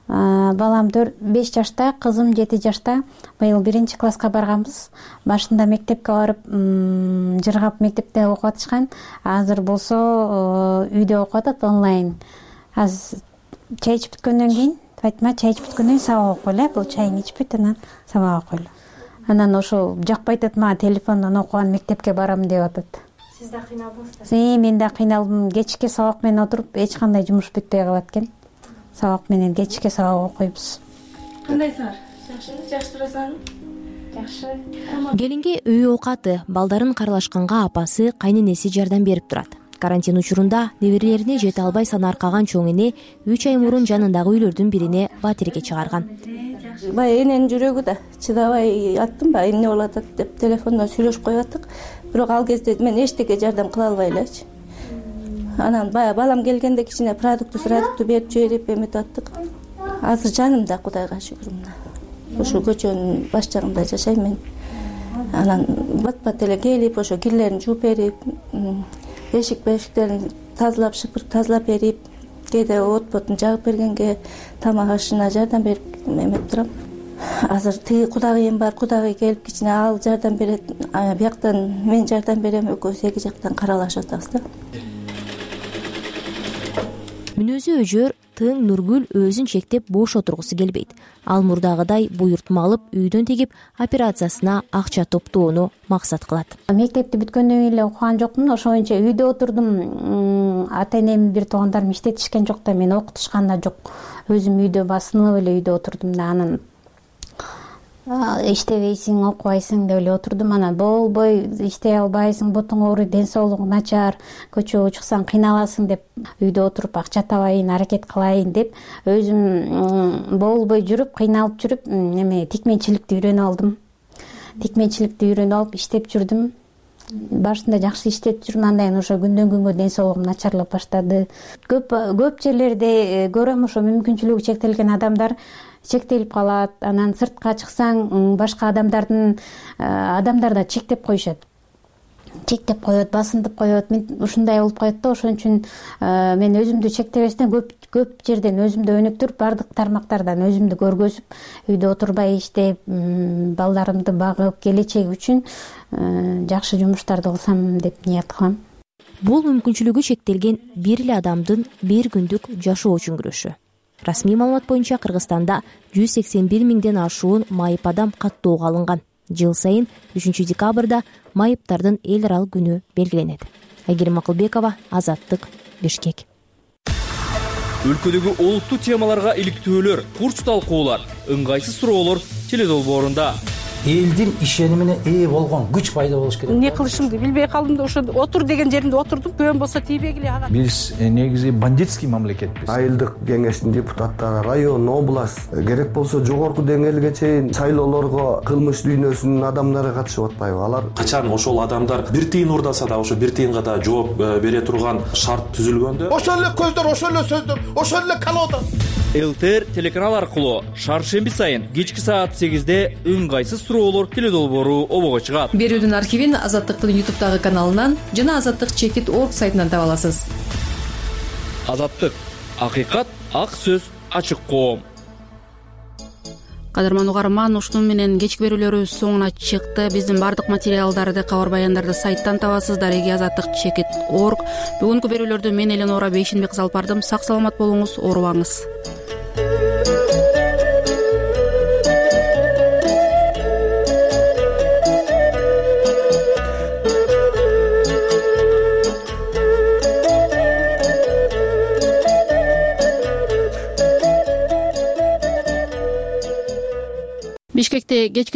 Балам беш жашта, кызым жети жашта. Быйыл биринчи класска барганбыз. Башында мектепке барып, жыргап мектепте окуп атышкан. Азыр болсо үйдө окуп атат онлайн. Азыр чай ичип бүткөндөн кийин, Фатима чай ичип бүткөндөн кийин сабак окуйлу, э, бул чайын ичип бүт, анан сабак окуйлу. Анан ошо жакпай атат, мага телефондон окуган мектепке барам деп атат. Сиз да кыйналдыңызбы? Э, мен да кыйналдым. Кечке сабак менен отуруп, эч кандай жумуш бүтпөй калат экен. Сабак менен кечке сабак окуйбуз. Кандайсыңар? Жакшы, жакшы турасыңарбы? Жакшы. Келинге үй оокаты, балдарын каралашканга апасы, кайненеси жардам берип турат. Карантин учурунда неберелерине жете албай санаркаган чоң эне үч ай мурун жанындагы үйлөрдүн бирине батирге чыгарган. Бая эненин жүрөгү да чыдабай аттым, бая эмне болуп атат деп телефондон сүйлөшүп коюп аттык. Бирок ал кезде мен эчтеке жардам кыла албай элечи. Анан бая балам келгенде кичине продукту продукту берип жиберип эметип аттык. Азыр жанымда, Кудайга шүгүр мына. Ошо көчөнүн баш жагында жашайм мен. Анан бат-бат эле келип, ошо кирлерин жууп берип, эшик бешиктерин тазалап, шыпырып тазалап берип, кээде от-ботун жагып бергенге тамак ашына жардам берип эметип турам. Азыр тиги кудагыйым бар, кудагый келип кичине ал жардам берет, бияктан мен жардам берем, экөөбүз эки жактан каралашып атабыз да. Мүнөзү өжөр, тың Нургүл өзүн чектеп бош отургусу келбейт. Ал мурдагыдай буйртма алып, үйдөн тегип операциясына акча топтоону максат кылат. Мектепти бүткөндөн кийин эле окуган жокмун, ошоюнча үйдө отурдум. Ата-энем, бир туугандарым иштетишкен жок да, мени окутушкан да жок. Өзүм үйдө басынып эле үйдө отурдум да, анан иштебейсиң, окубайсың деп эле отурдум. Анан болбой, иштей албайсың, бутуң ооруйт, ден соолугуң начар, көчөгө чыксаң кыйналасың деп үйдө отуруп акча табайын, аракет кылайын деп өзүм болбой жүрүп, кыйналып жүрүп, эме тикменчиликти үйрөнүп алдым. Тикменчиликти үйрөнүп алып иштеп жүрдүм. Башында жакшы иштеп жүрүм, андан кийин ошо күндөн күнгө ден соолугум начарлап баштады. Көп көп жерлерде көрөм, ошо мүмкүнчүлүгү чектелген адамдар чектелип калат. Анан сыртка чыксаң, башка адамдардын адамдар да чектеп коюшат. Чектеп коет, басынтып коет. Мен ушундай болуп коет да, ошон үчүн мен өзүмдү чектебестен көп көп жерден өзүмдү өнүктүрүп, бардык тармактардан өзүмдү көргөзүп, үйдө отурбай иштеп, балдарымды багып, келечеги үчүн жакшы жумуштарды кылсам деп ният кылам. Бул мүмкүнчүлүгү чектелген бир эле адамдын бир күндүк жашоо үчүн күрөшү. Расмий маалымат боюнча Кыргызстанда жүз сексен бир миңден ашуун майып адам каттоого алынган. Жыл сайын үчүнчү декабрда майыптардын эл аралык күнү белгиленет. Айгерим Акылбекова, Азаттык, Бишкек. Өлкөдөгү олуттуу темаларга иликтөөлөр, курч талкуулар, ыңгайсыз суроолор теледолбоорунда. Элдин ишенимине ээ болгон күч пайда болуш керек. Эмне кылышымды билбей калдым да, ошо отур деген жеримде отурдум, көбөн болсо тийбегиле ага. Биз негизи бандитский мамлекетпиз. Айылдык кеңештин депутаттары, район, область, керек болсо жогорку деңгээлге чейин шайлоолорго кылмыш дүйнөсүнүн адамдары катышып атпайбы? Алар качан ошол адамдар бир тыйын урдаса да, ошо бир тыйынга да жооп бере турган шарт түзүлгөндө, ошол эле көздөр, ошол эле сөздөр, ошол эле колода. ЛТР телеканал аркылуу шаршемби сайын кечки саат сегизде ыңгайсыз суроолор теледолбоору обого чыгат. Берүүдүн архивин Азаттыктын ютубтагы каналынан жана азаттык чекит точка орг сайтынан таба аласыз. Азаттык, акыйкат, ак сөз, ачык коом. Кадырман угарман, ушуну менен кечки берүүлөрүбүз соңуна чыкты. Биздин бардык материалдарды, кабар баяндарды сайттан табасыздар. Эги азаттык чекит точка орг. Бүгүнкү берүүлөрдү мен Эленора Бейшенбек алып бардым. Сак саламат болуңуз, оорубаңыз. эрте кечки